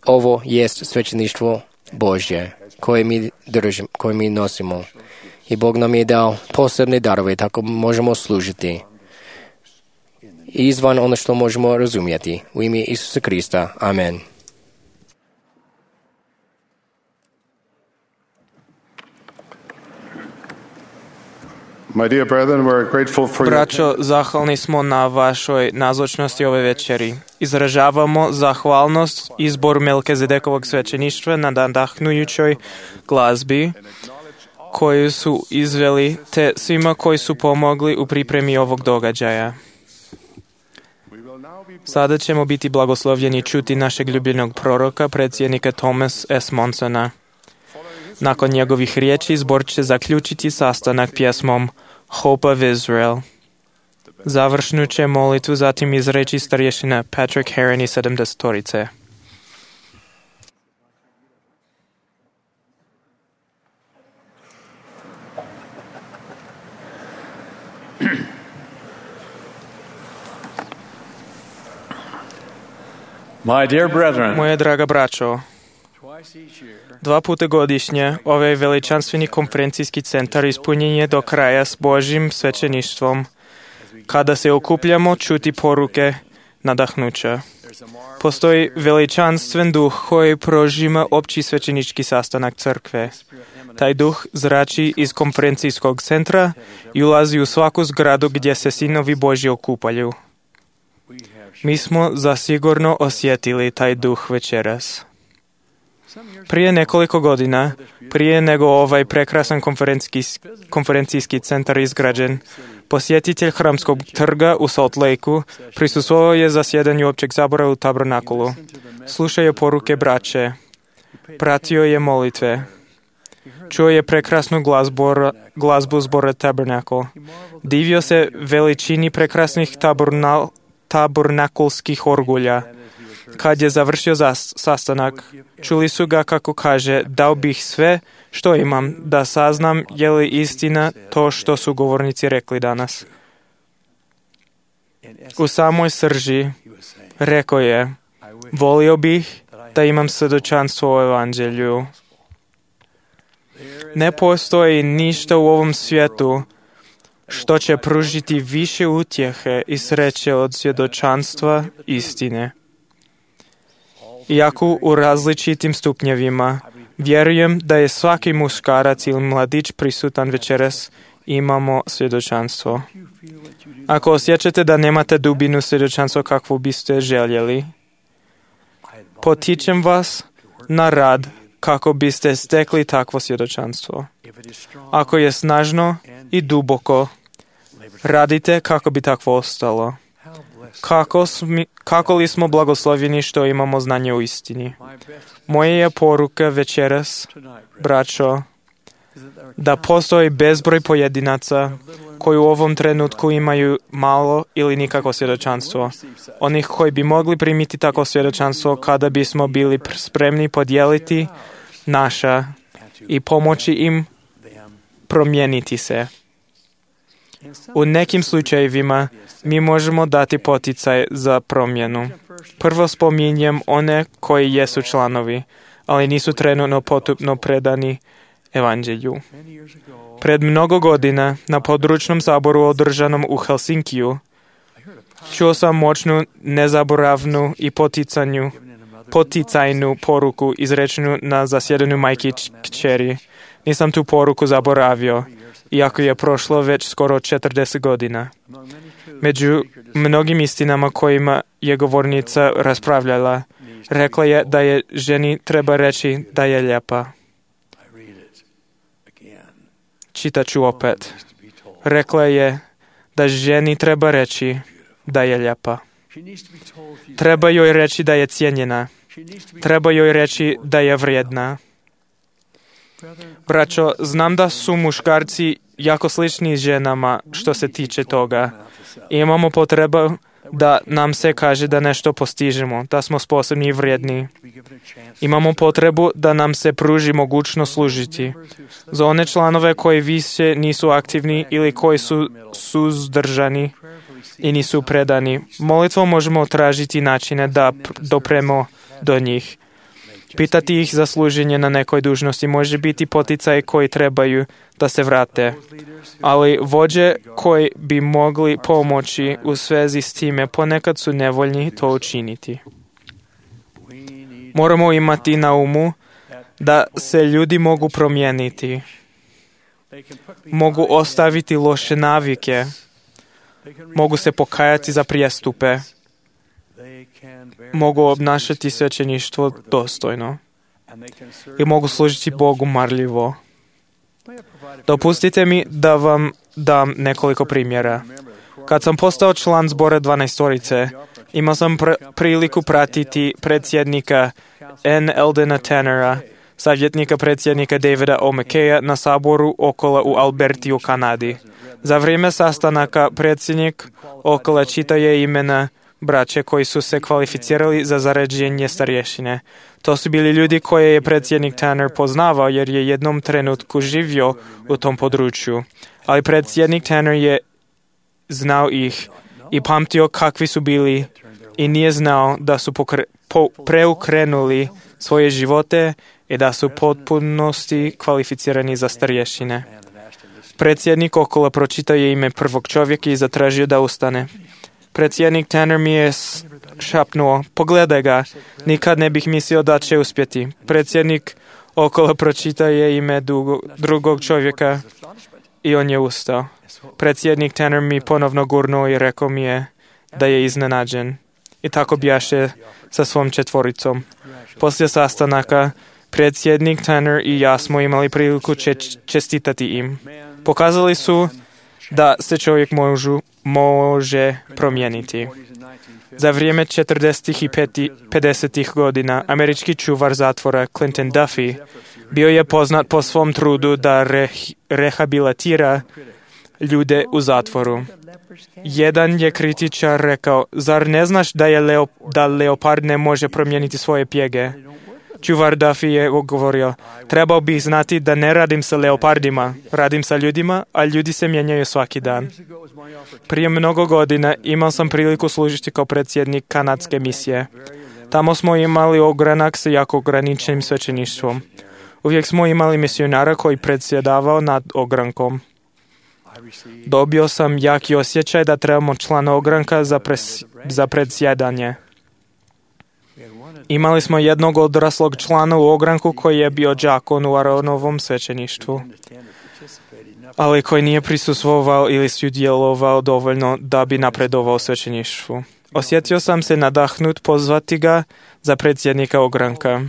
Speaker 6: Ovo jest svećeništvo Božje koje mi držimo, koje mi nosimo. I Bog nam je dao posebne darove, tako možemo služiti. Izvan ono što možemo razumjeti. U ime Isusa Krista. Amen.
Speaker 1: My dear brethren, we're grateful for
Speaker 2: Braćo, zahvalni smo na vašoj nazočnosti ove večeri. Izražavamo zahvalnost izboru Melkizedekovog svećeništva na nadahnujućoj glazbi koju su izveli, te svima koji su pomogli u pripremi ovog događaja. Sada ćemo biti blagoslovljeni čuti našeg ljubljenog proroka, predsjednika Thomas S. Monsona. Nakon njegovih riječi zbor će zaključiti sastanak pjesmom Hope of Israel. Završnu će molitvu zatim izreći starješina Patrick Heron i sedamdesetorice.
Speaker 3: My dear brethren,
Speaker 2: Moje draga braćo, dva puta godišnje ovaj veličanstveni konferencijski centar ispunjen je do kraja s Božjim svećeništvom, kada se okupljamo čuti poruke nadahnuća. Postoji veličanstven duh koji prožima opći svećenički sastanak crkve. Taj duh zrači iz konferencijskog centra i ulazi u svaku zgradu gdje se sinovi Božji okupaju. Mi smo zasigurno osjetili taj duh večeras. Prije nekoliko godina, prije nego ovaj prekrasan konferencijski centar izgrađen, posjetitelj Hramskog trga u Salt Lakeu prisustvovao je zasjedanju općeg sabora u Tabernakulu. Slušao je poruke braće, pratio je molitve, čuo je prekrasnu glazbu, glazbu zbora Tabernacle. Divio se veličini prekrasnih tabernal, tabernakulskih orgulja. Kad je završio zas, sastanak, čuli su ga kako kaže, dao bih sve što imam da saznam je li istina to što su govornici rekli danas. U samoj srži rekao je, volio bih da imam svjedočanstvo o evanđelju. Ne postoji ništa u ovom svijetu što će pružiti više utjehe i sreće od svjedočanstva istine. Iako u različitim stupnjevima, vjerujem da je svaki muškarac ili mladić prisutan večeras, imamo svjedočanstvo. Ako osjećate da nemate dubinu svjedočanstva kakvu biste željeli, potičem vas na rad kako biste stekli takvo svjedočanstvo. Ako je snažno i duboko, radite kako bi takvo ostalo. Kako, smi, kako li smo blagoslovljeni što imamo znanje u istini. Moja je poruka večeras, braćo, da postoji bezbroj pojedinaca koji u ovom trenutku imaju malo ili nikakvo svjedočanstvo. Onih koji bi mogli primiti takvo svjedočanstvo kada bismo bili spremni podijeliti naša i pomoći im promijeniti se. U nekim slučajevima mi možemo dati poticaj za promjenu. Prvo spominjem one koji jesu članovi, ali nisu trenutno potupno predani evanđelju. Pred mnogo godina na područnom saboru održanom u Helsinkiju čuo sam moćnu, nezaboravnu i poticanju, poticajnu poruku izrečenu na zasjedanju majke i kćeri. Nisam tu poruku zaboravio, iako je prošlo već skoro četrdeset godina. Među mnogim istinama kojima je govornica raspravljala, rekla je da je ženi treba reći da je lijepa. Čitaću opet. Rekla je da ženi treba reći da je lijepa. Treba joj reći da je cijenjena. Treba joj reći da je vrijedna. Braćo, znam da su muškarci jako slični ženama što se tiče toga. Imamo potrebu da nam se kaže da nešto postižemo, da smo sposobni i vrijedni. Imamo potrebu da nam se pruži mogućnost služiti. Za one članove koji više nisu aktivni ili koji su suzdržani i nisu predani, molitvom možemo tražiti načine da dopremo do njih. Pitati ih za služenje na nekoj dužnosti može biti poticaj koji trebaju da se vrate. Ali vođe koji bi mogli pomoći u svezi s time ponekad su nevoljni to učiniti. Moramo imati na umu da se ljudi mogu promijeniti. Mogu ostaviti loše navike. Mogu se pokajati za prijestupe. Mogu obnašati svećeništvo dostojno i mogu služiti Bogu marljivo. Dopustite mi da vam dam nekoliko primjera. Kad sam postao član zbora dvanaestorice, imao sam pr- priliku pratiti predsjednika N. Eldena Tannera, savjetnika predsjednika Davida O. McKaya na saboru Okola u Alberti u Kanadi. Za vrijeme sastanaka predsjednik Okola čitao je imena braće koji su se kvalificirali za zaređenje starješine. To su bili ljudi koje je predsjednik Tanner poznavao jer je jednom trenutku živio u tom području. Ali predsjednik Tanner je znao ih i pamtio kakvi su bili i nije znao da su pokre, po, preukrenuli svoje živote i da su potpunosti kvalificirani za starješine. Predsjednik Okola pročitao je ime prvog čovjeka i zatražio da ustane. Predsjednik Tanner mi je šapnuo, pogledaj ga, nikad ne bih mislio da će uspjeti. Predsjednik Okola pročitao je ime dugo, drugog čovjeka i on je ustao. Predsjednik Tanner mi ponovno gurnuo i rekao mi je da je iznenađen. I tako bjaše sa svom četvoricom. Poslije sastanaka, predsjednik Tanner i ja smo imali priliku če- čestitati im. Pokazali su da se čovjek možu, može promijeniti. Za vrijeme četrdesetih i pedesetih godina američki čuvar zatvora Clinton Duffy bio je poznat po svom trudu da re, rehabilitira ljude u zatvoru. Jedan je kritičar rekao, zar ne znaš da, je leo, da leopard ne može promijeniti svoje pjege? Čuvar Duffy je govorio, trebao bih znati da ne radim sa leopardima, radim sa ljudima, a ljudi se mijenjaju svaki dan. Prije mnogo godina imao sam priliku služiti kao predsjednik kanadske misije. Tamo smo imali ogranak sa jako ograničenim svećeništvom. Uvijek smo imali misionara koji predsjedavao nad ogrankom. Dobio sam jaki osjećaj da trebamo člana ogranka za, pres, za predsjedanje. Imali smo jednog odraslog člana u ogranku koji je bio đakon u Aronovom svećeništvu, ali koji nije prisustvovao ili sudjelovao dovoljno da bi napredovao u svećeništvu. Osjetio sam se nadahnut pozvati ga za predsjednika ogranka.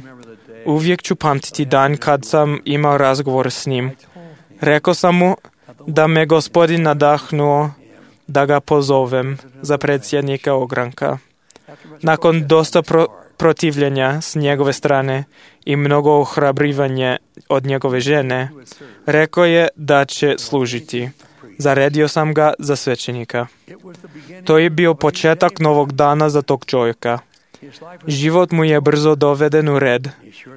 Speaker 2: Uvijek ću pamtiti dan kad sam imao razgovor s njim. Rekao sam mu da me Gospodin nadahnuo da ga pozovem za predsjednika ogranka. Nakon dosta pro, protivljenja s njegove strane i mnogo ohrabrivanja od njegove žene, rekao je da će služiti. Zaredio sam ga za svećenika. To je bio početak novog dana za tog čovjeka. Život mu je brzo doveden u red,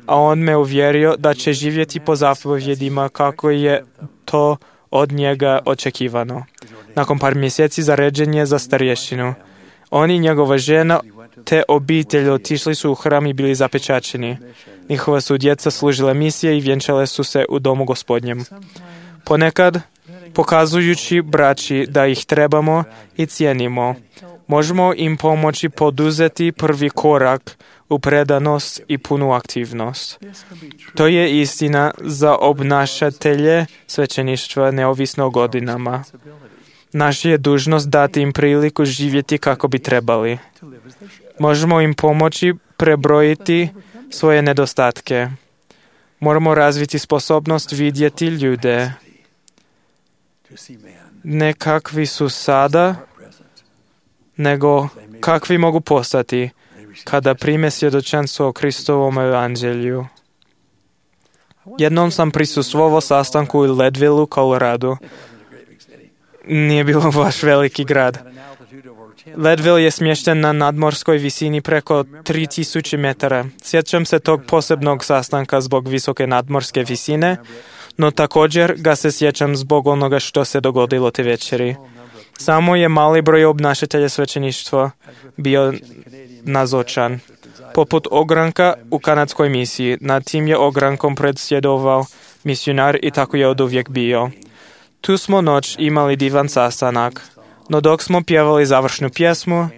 Speaker 2: a on me uvjerio da će živjeti po zapovjedima kako je to od njega očekivano. Nakon par mjeseci zaređen je za starješinu. On i njegova žena te obitelj otišli su u hram i bili zapečačeni. Njihova su djeca služile misije i vjenčale su se u domu Gospodnjem. Ponekad, pokazujući braći da ih trebamo i cijenimo, možemo im pomoći poduzeti prvi korak u predanost i punu aktivnost. To je istina za obnašatelje svećeništva neovisno o godinama. Naša je dužnost dati im priliku živjeti kako bi trebali. Možemo im pomoći prebrojiti svoje nedostatke. Moramo razviti sposobnost vidjeti ljude. Ne kakvi su sada, nego kakvi mogu postati kada prime svjedočanstvo o Kristovom evanđelju. Jednom sam prisustvovao sastanku u Leadville, Colorado. Nije bilo baš veliki grad. Leadville je smješten na nadmorskoj visini preko tri tisuće metara. Sjećam se tog posebnog sastanka zbog visoke nadmorske visine, no također ga se sjećam zbog onoga što se dogodilo te večeri. Samo je mali broj obnašatelja svećeništva bio nazočan. Poput ogranka u kanadskoj misiji, nad tim je ogrankom predsjedovao misionar i tako je oduvijek bio. Tu smo noć imali divan sastanak, no dok smo pjevali završnu pjesmu,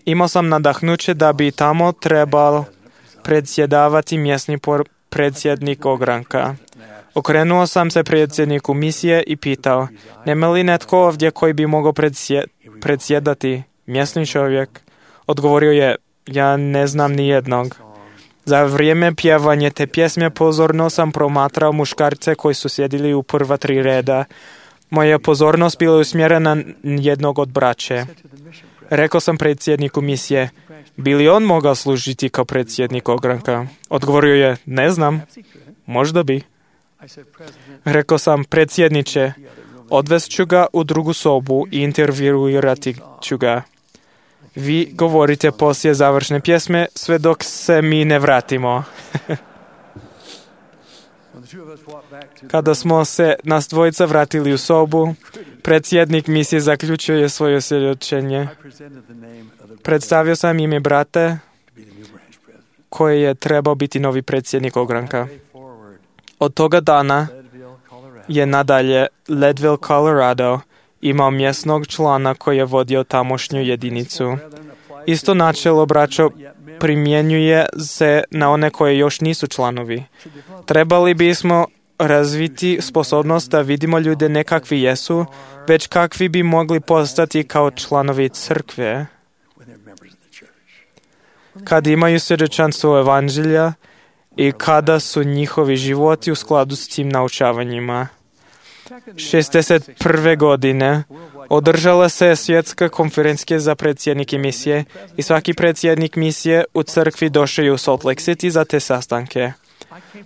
Speaker 2: imao sam nadahnuće da bi tamo trebal predsjedavati mjesni predsjednik ogranka. Okrenuo sam se predsjedniku misije i pitao, nema li netko ovdje koji bi mogao predsje, predsjedati, mjesni čovjek? Odgovorio je, ja ne znam ni jednog. Za vrijeme pjevanja te pjesme pozorno sam promatrao muškarce koji su sjedili u prva tri reda. Moja pozornost bila usmjerena na jednog od braće. Rekao sam predsjedniku misije, bi li on mogao služiti kao predsjednik ogranka? Odgovorio je, ne znam, možda bi. Rekao sam, predsjedniče, odvest ću ga u drugu sobu i intervjuirati ću ga. Vi govorite poslije završne pjesme sve dok se mi ne vratimo. Kada smo se nas dvojica vratili u sobu, predsjednik misije zaključio je svoje svjedočenje. Predstavio sam ime brate koji je trebao biti novi predsjednik ogranka. Od toga dana je nadalje Leadville, Colorado, imao mjesnog člana koji je vodio tamošnju jedinicu. Isto načelo, braćo, primjenjuje se na one koje još nisu članovi. Trebali bismo razviti sposobnost da vidimo ljude ne kakvi jesu, već kakvi bi mogli postati kao članovi crkve. kad imaju svjedočanstvo evanđelja i kada su njihovi životi u skladu s tim naučavanjima. šezdeset prve godine održala se svjetska konferencija za predsjednike misije i svaki predsjednik misije u crkvi došao je u Salt Lake City za te sastanke.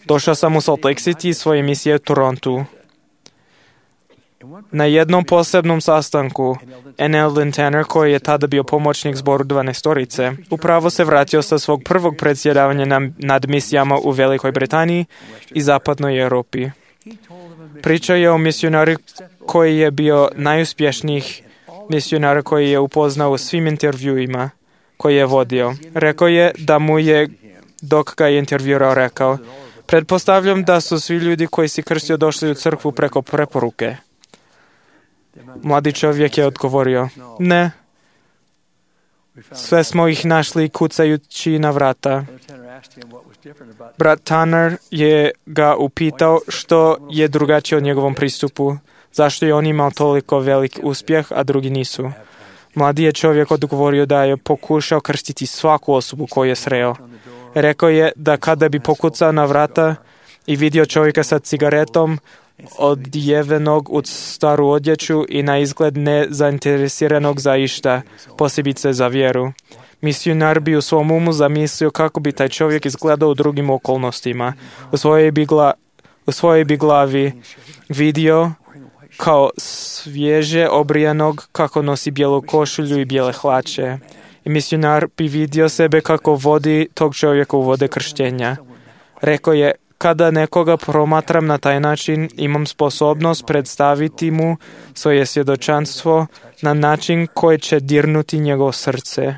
Speaker 2: Došao sam u Salt Lake City iz svoje misije u Torontu. Na jednom posebnom sastanku N. Eldon Tanner, koji je tada bio pomoćnik zboru dvanaestorice, upravo se vratio sa svog prvog predsjedavanja nad misijama u Velikoj Britaniji i Zapadnoj Europi. Pričao je o misionari koji je bio najuspješnijih misionara koji je upoznao u svim intervjuima koji je vodio. Rekao je da mu je, dok ga je intervjuirao, rekao: pretpostavljam da su svi ljudi koji si krstio došli u crkvu preko preporuke. Mladi čovjek je odgovorio: ne. Sve smo ih našli kucajući na vrata. Brat Tanner je ga upitao što je drugačije od njegovom pristupu, zašto je on imao toliko velik uspjeh, a drugi nisu. Mladi je čovjek odgovorio da je pokušao krstiti svaku osobu koju je sreo. Rekao je da kada bi pokucao na vrata i vidio čovjeka sa cigaretom, odjevenog u staru odjeću i na izgled nezainteresiranog za išta, posebice za vjeru, misionar bi u svom umu zamislio kako bi taj čovjek izgledao u drugim okolnostima. U svojoj bi, gla, u svojoj bi glavi vidio kao svježe obrijanog kako nosi bijelu košulju i bijele hlače. I misionar bi vidio sebe kako vodi tog čovjeka u vode krštenja. Rekao je: kada nekoga promatram na taj način, imam sposobnost predstaviti mu svoje svjedočanstvo na način koji će dirnuti njegovo srce.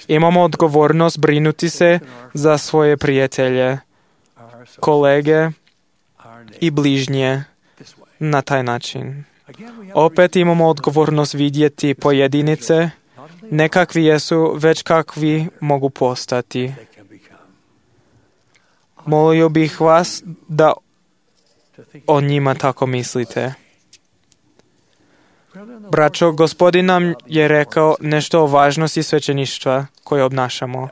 Speaker 2: Imamo odgovornost brinuti se za svoje prijatelje, kolege i bližnje na taj način. Opet imamo odgovornost vidjeti pojedinice, ne kakvi jesu, već kakvi mogu postati. Molio bih vas da o njima tako mislite. Braćo, Gospodin nam je rekao nešto o važnosti svećeništva koje obnašamo.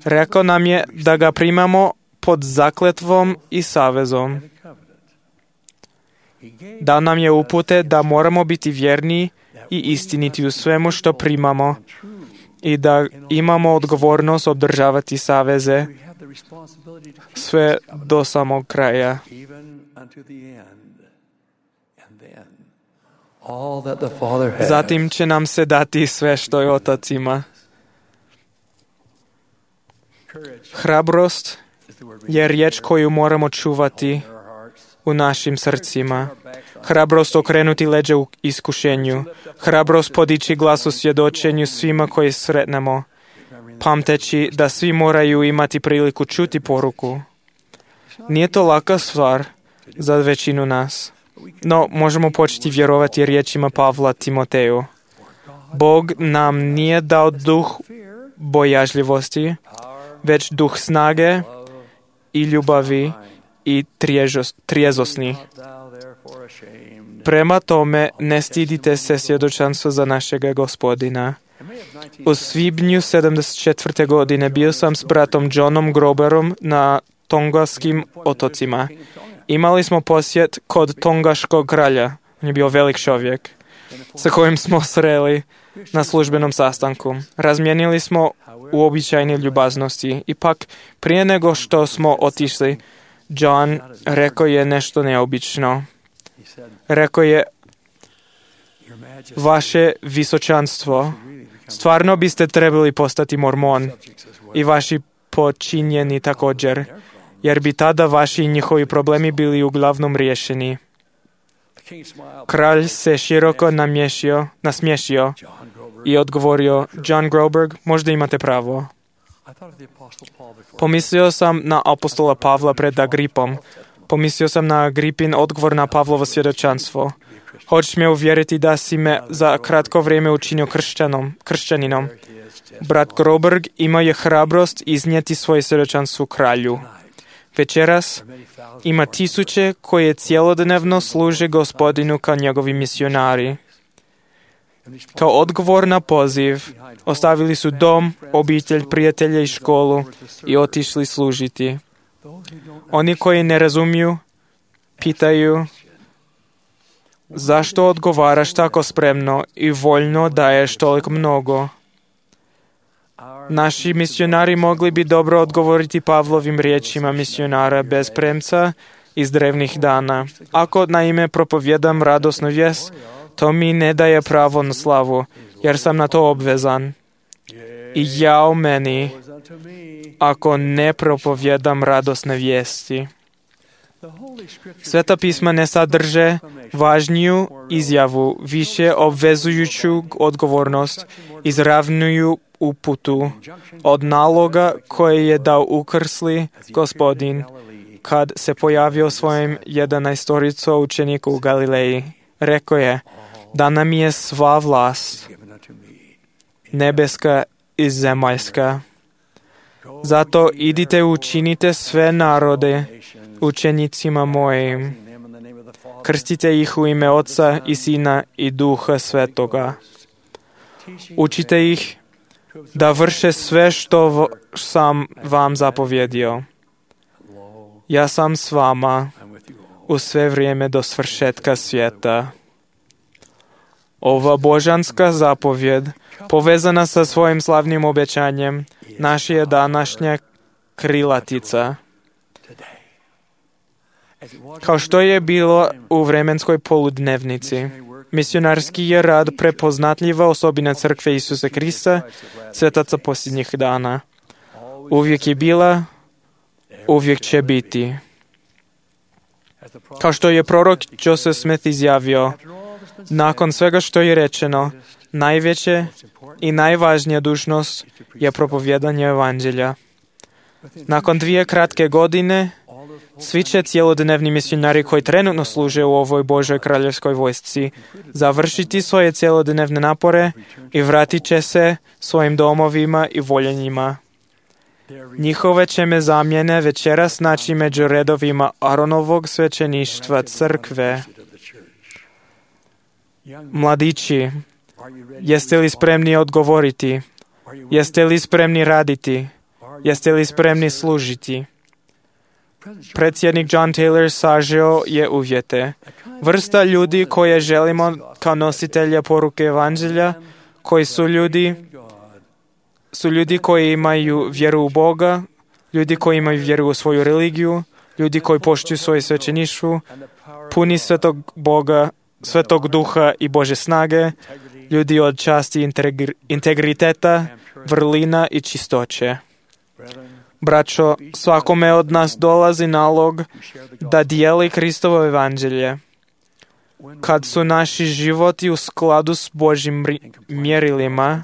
Speaker 2: Rekao nam je da ga primamo pod zakletvom i savezom. Dao nam je upute da moramo biti vjerni i istiniti u svemu što primamo i da imamo odgovornost održavati saveze sve do samog kraja. Zatim će nam se dati sve što je Otac ima. Hrabrost je riječ koju moramo čuvati u našim srcima. Hrabrost okrenuti leđa u iskušenju. Hrabrost podići glas u svjedočenju svima koji sretnemo, pamteći da svi moraju imati priliku čuti poruku. Nije to laka stvar za većinu nas, no možemo početi vjerovati riječima Pavla Timoteju. Bog nam nije dao duh bojažljivosti, već duh snage i ljubavi i trijezosni. Prema tome, ne stidite se svjedočanstva za našega Gospodina. U svibnju sedamdeset četvrte godine bio sam s bratom Johnom Groberom na Tongaskim otocima. Imali smo posjet kod Tongaškog kralja. On je bio velik čovjek sa kojim smo sreli na službenom sastanku. Razmijenili smo uobičajene ljubaznosti. Ipak, prije nego što smo otišli, John rekao je nešto neobično. Rekao je: vaše visočanstvo, stvarno biste trebali postati mormon i vaši počinjeni također, jer bi tada vaši i njihovi problemi bili uglavnom riješeni. Kralj se široko namješio, nasmiješio i odgovorio: John Groberg, možda imate pravo. Pomislio sam na apostola Pavla pred Agripom. Pomislio sam na Agripin odgovor na Pavlovo svjedočanstvo. Hoćeš me uvjeriti da si me za kratko vrijeme učinio kršćanom, kršćaninom. Brat Groberg imao je hrabrost iznijeti svoje svjedočanstvo kralju. Večeras ima tisuće koje cijelodnevno služe Gospodinu kao njegovi misionari. Kao odgovor na poziv, ostavili su dom, obitelj, prijatelje i školu i otišli služiti. Oni koji ne razumiju, pitaju zašto odgovaraš tako spremno i voljno daješ toliko mnogo. Naši misionari mogli bi dobro odgovoriti Pavlovim riječima misionara bez premca iz drevnih dana. Ako naime propovjedam radosnu vijest, to mi ne daje pravo na slavu, jer sam na to obvezan. I jao meni, ako ne propovjedam radosne vijesti. Sveta pisma ne sadrže važniju izjavu, više obvezujuću odgovornost, izravnuju uputu od naloga koje je dao ukrsli Gospodin kad se pojavio svojim jedanaestorico učeniku u Galileji. Rekao je, da nam je sva vlast, nebeska i zemaljska. Zato idite učinite sve narode učenicima mojim. Krstite ih u ime Oca i Sina i Duha Svetoga. Učite ih da vrše sve što sam vam zapovjedio. Ja sam s vama u sve vrijeme do svršetka svijeta. Ova božanska zapovjed, povezana sa svojim slavnim obećanjem, naša je današnja krilatica. Kao što je bilo u vremenskoj poludnevnici, misionarski je rad prepoznatljiva osobina Crkve Isusa Krista, svetaca posljednjih dana. Uvijek je bila, uvijek će biti. Kao što je prorok Joseph Smith izjavio, nakon svega što je rečeno, najveće i najvažnija dužnost je propovjedanje evanđelja. Nakon dvije kratke godine, svi će cjelodnevni misionari koji trenutno služe u ovoj Božoj kraljevskoj vojsci završiti svoje cjelodnevne napore i vratit će se svojim domovima i voljenjima. Njihove će me zamjene večeras naći među redovima Aronovog svećeništva crkve. Mladići, jeste li spremni odgovoriti? Jeste li spremni raditi? Jeste li spremni služiti? Predsjednik John Taylor sažeo je uvjete. Vrsta ljudi koje želimo kao nositelja poruke evanđelja, koji su ljudi, su ljudi koji imaju vjeru u Boga, ljudi koji imaju vjeru u svoju religiju, ljudi koji poštuju svoje svećeništvo, puni svetog Boga, svetog duha i Bože snage, ljudi od časti integri- integriteta, vrlina i čistoće. Braćo, svakome od nas dolazi nalog da dijeli Kristovo evanđelje. Kad su naši životi u skladu s Božjim mjerilima,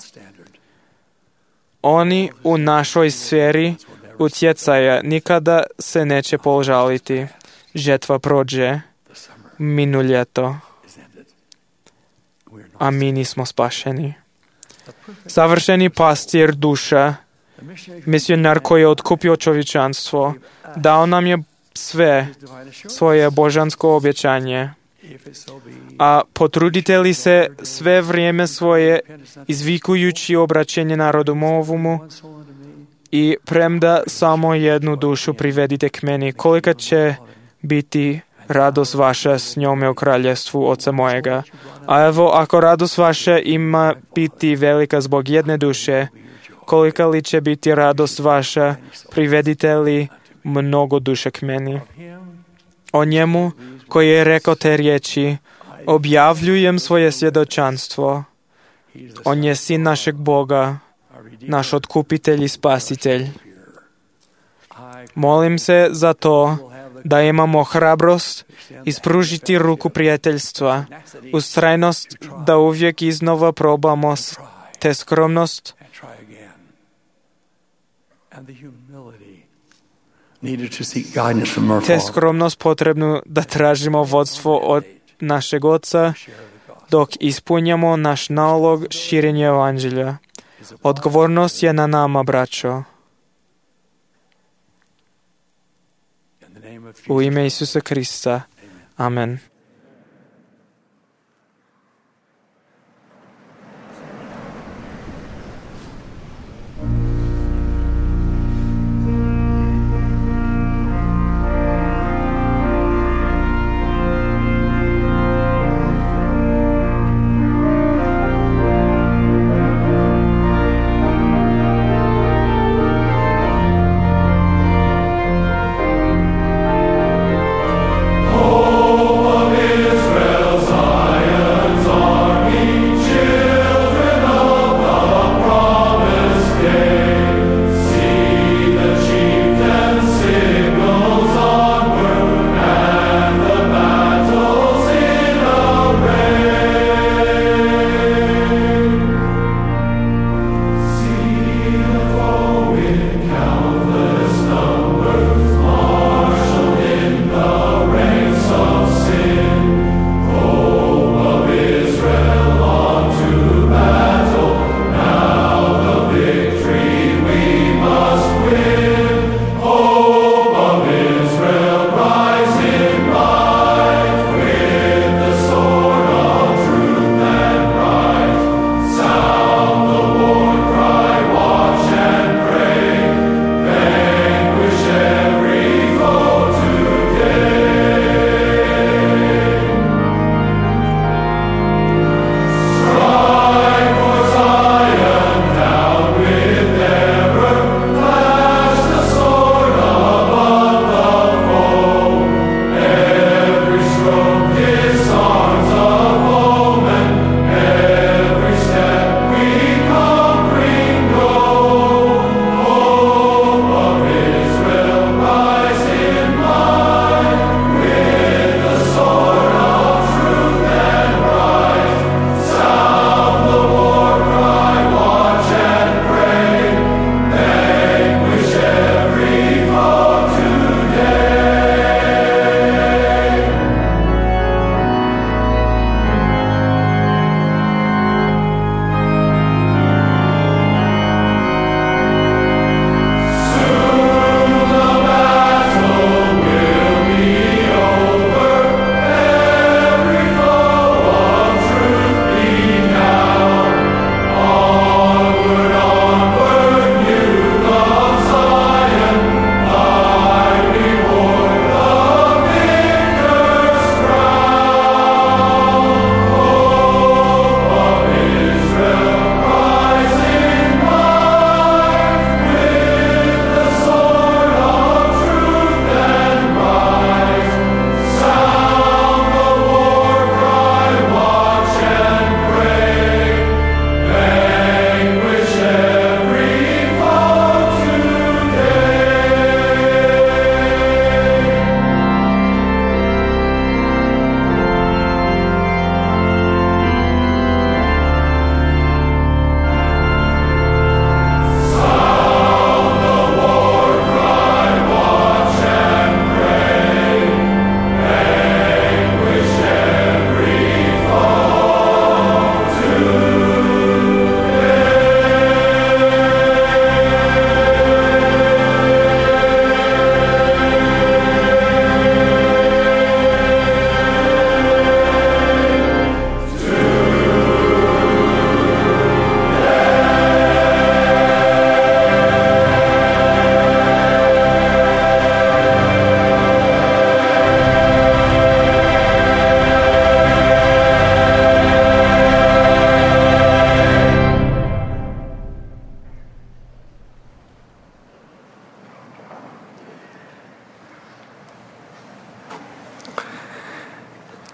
Speaker 2: oni u našoj sferi utjecaja nikada se neće požaliti. Žetva prođe, minu ljeto, a mi nismo spašeni. Savršeni pastir duša, misionar koji je otkupio čovječanstvo, dao nam je sve svoje božansko obećanje. A potrudite li se sve vrijeme svoje izvikujući obraćenje narodu movumu i premda samo jednu dušu privedite k meni, kolika će biti radost vaša s njome u kraljevstvu Oca mojega. A evo, ako radost vaša ima biti velika zbog jedne duše, kolika li će biti radost vaša, privedite li mnogo duše k meni. O njemu koji je rekao te riječi, objavljujem svoje svjedočanstvo. On je sin našeg Boga, naš otkupitelj i spasitelj. Molim se za to da imamo hrabrost ispružiti ruku prijateljstva, ustrajnost da uvijek iznova probamo, te skromnost te skromnost potrebnu da tražimo vodstvo od našeg Oca dok ispunjamo naš nalog širenja evanđelja. Odgovornost je na nama, braćo. U ime Isusa Krista. Amen.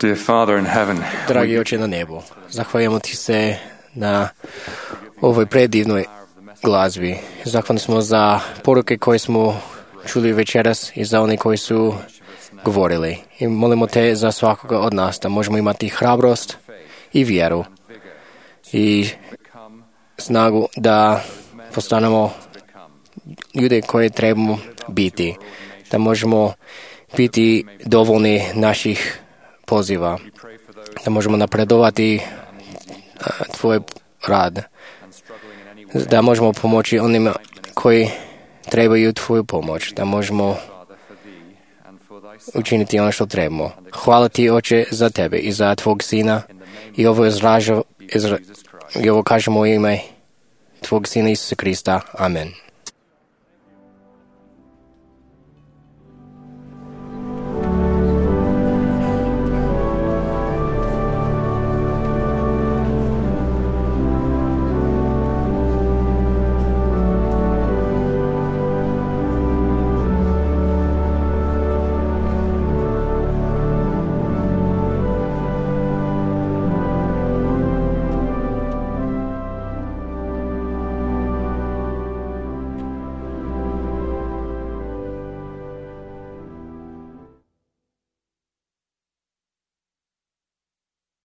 Speaker 3: Dear Father in heaven,
Speaker 6: Dragi Oče na nebu, zahvaljujemo Ti se na ovoj predivnoj glazbi. Zahvalni smo za poruke koje smo čuli večeras i za oni koji su govorili. I molimo Te za svakoga od nas da možemo imati hrabrost i vjeru i snagu da postanemo ljude koje trebamo biti, da možemo biti dovoljni naših poziva, da možemo napredovati Tvoj rad, da možemo pomoći onima koji trebaju Tvoju pomoć, da možemo učiniti ono što trebamo. Hvala Ti, Oče, za Tebe i za Tvog Sina i ovo, izražu, izra, i ovo kažemo u ime Tvog Sina Isusa Krista. Amen.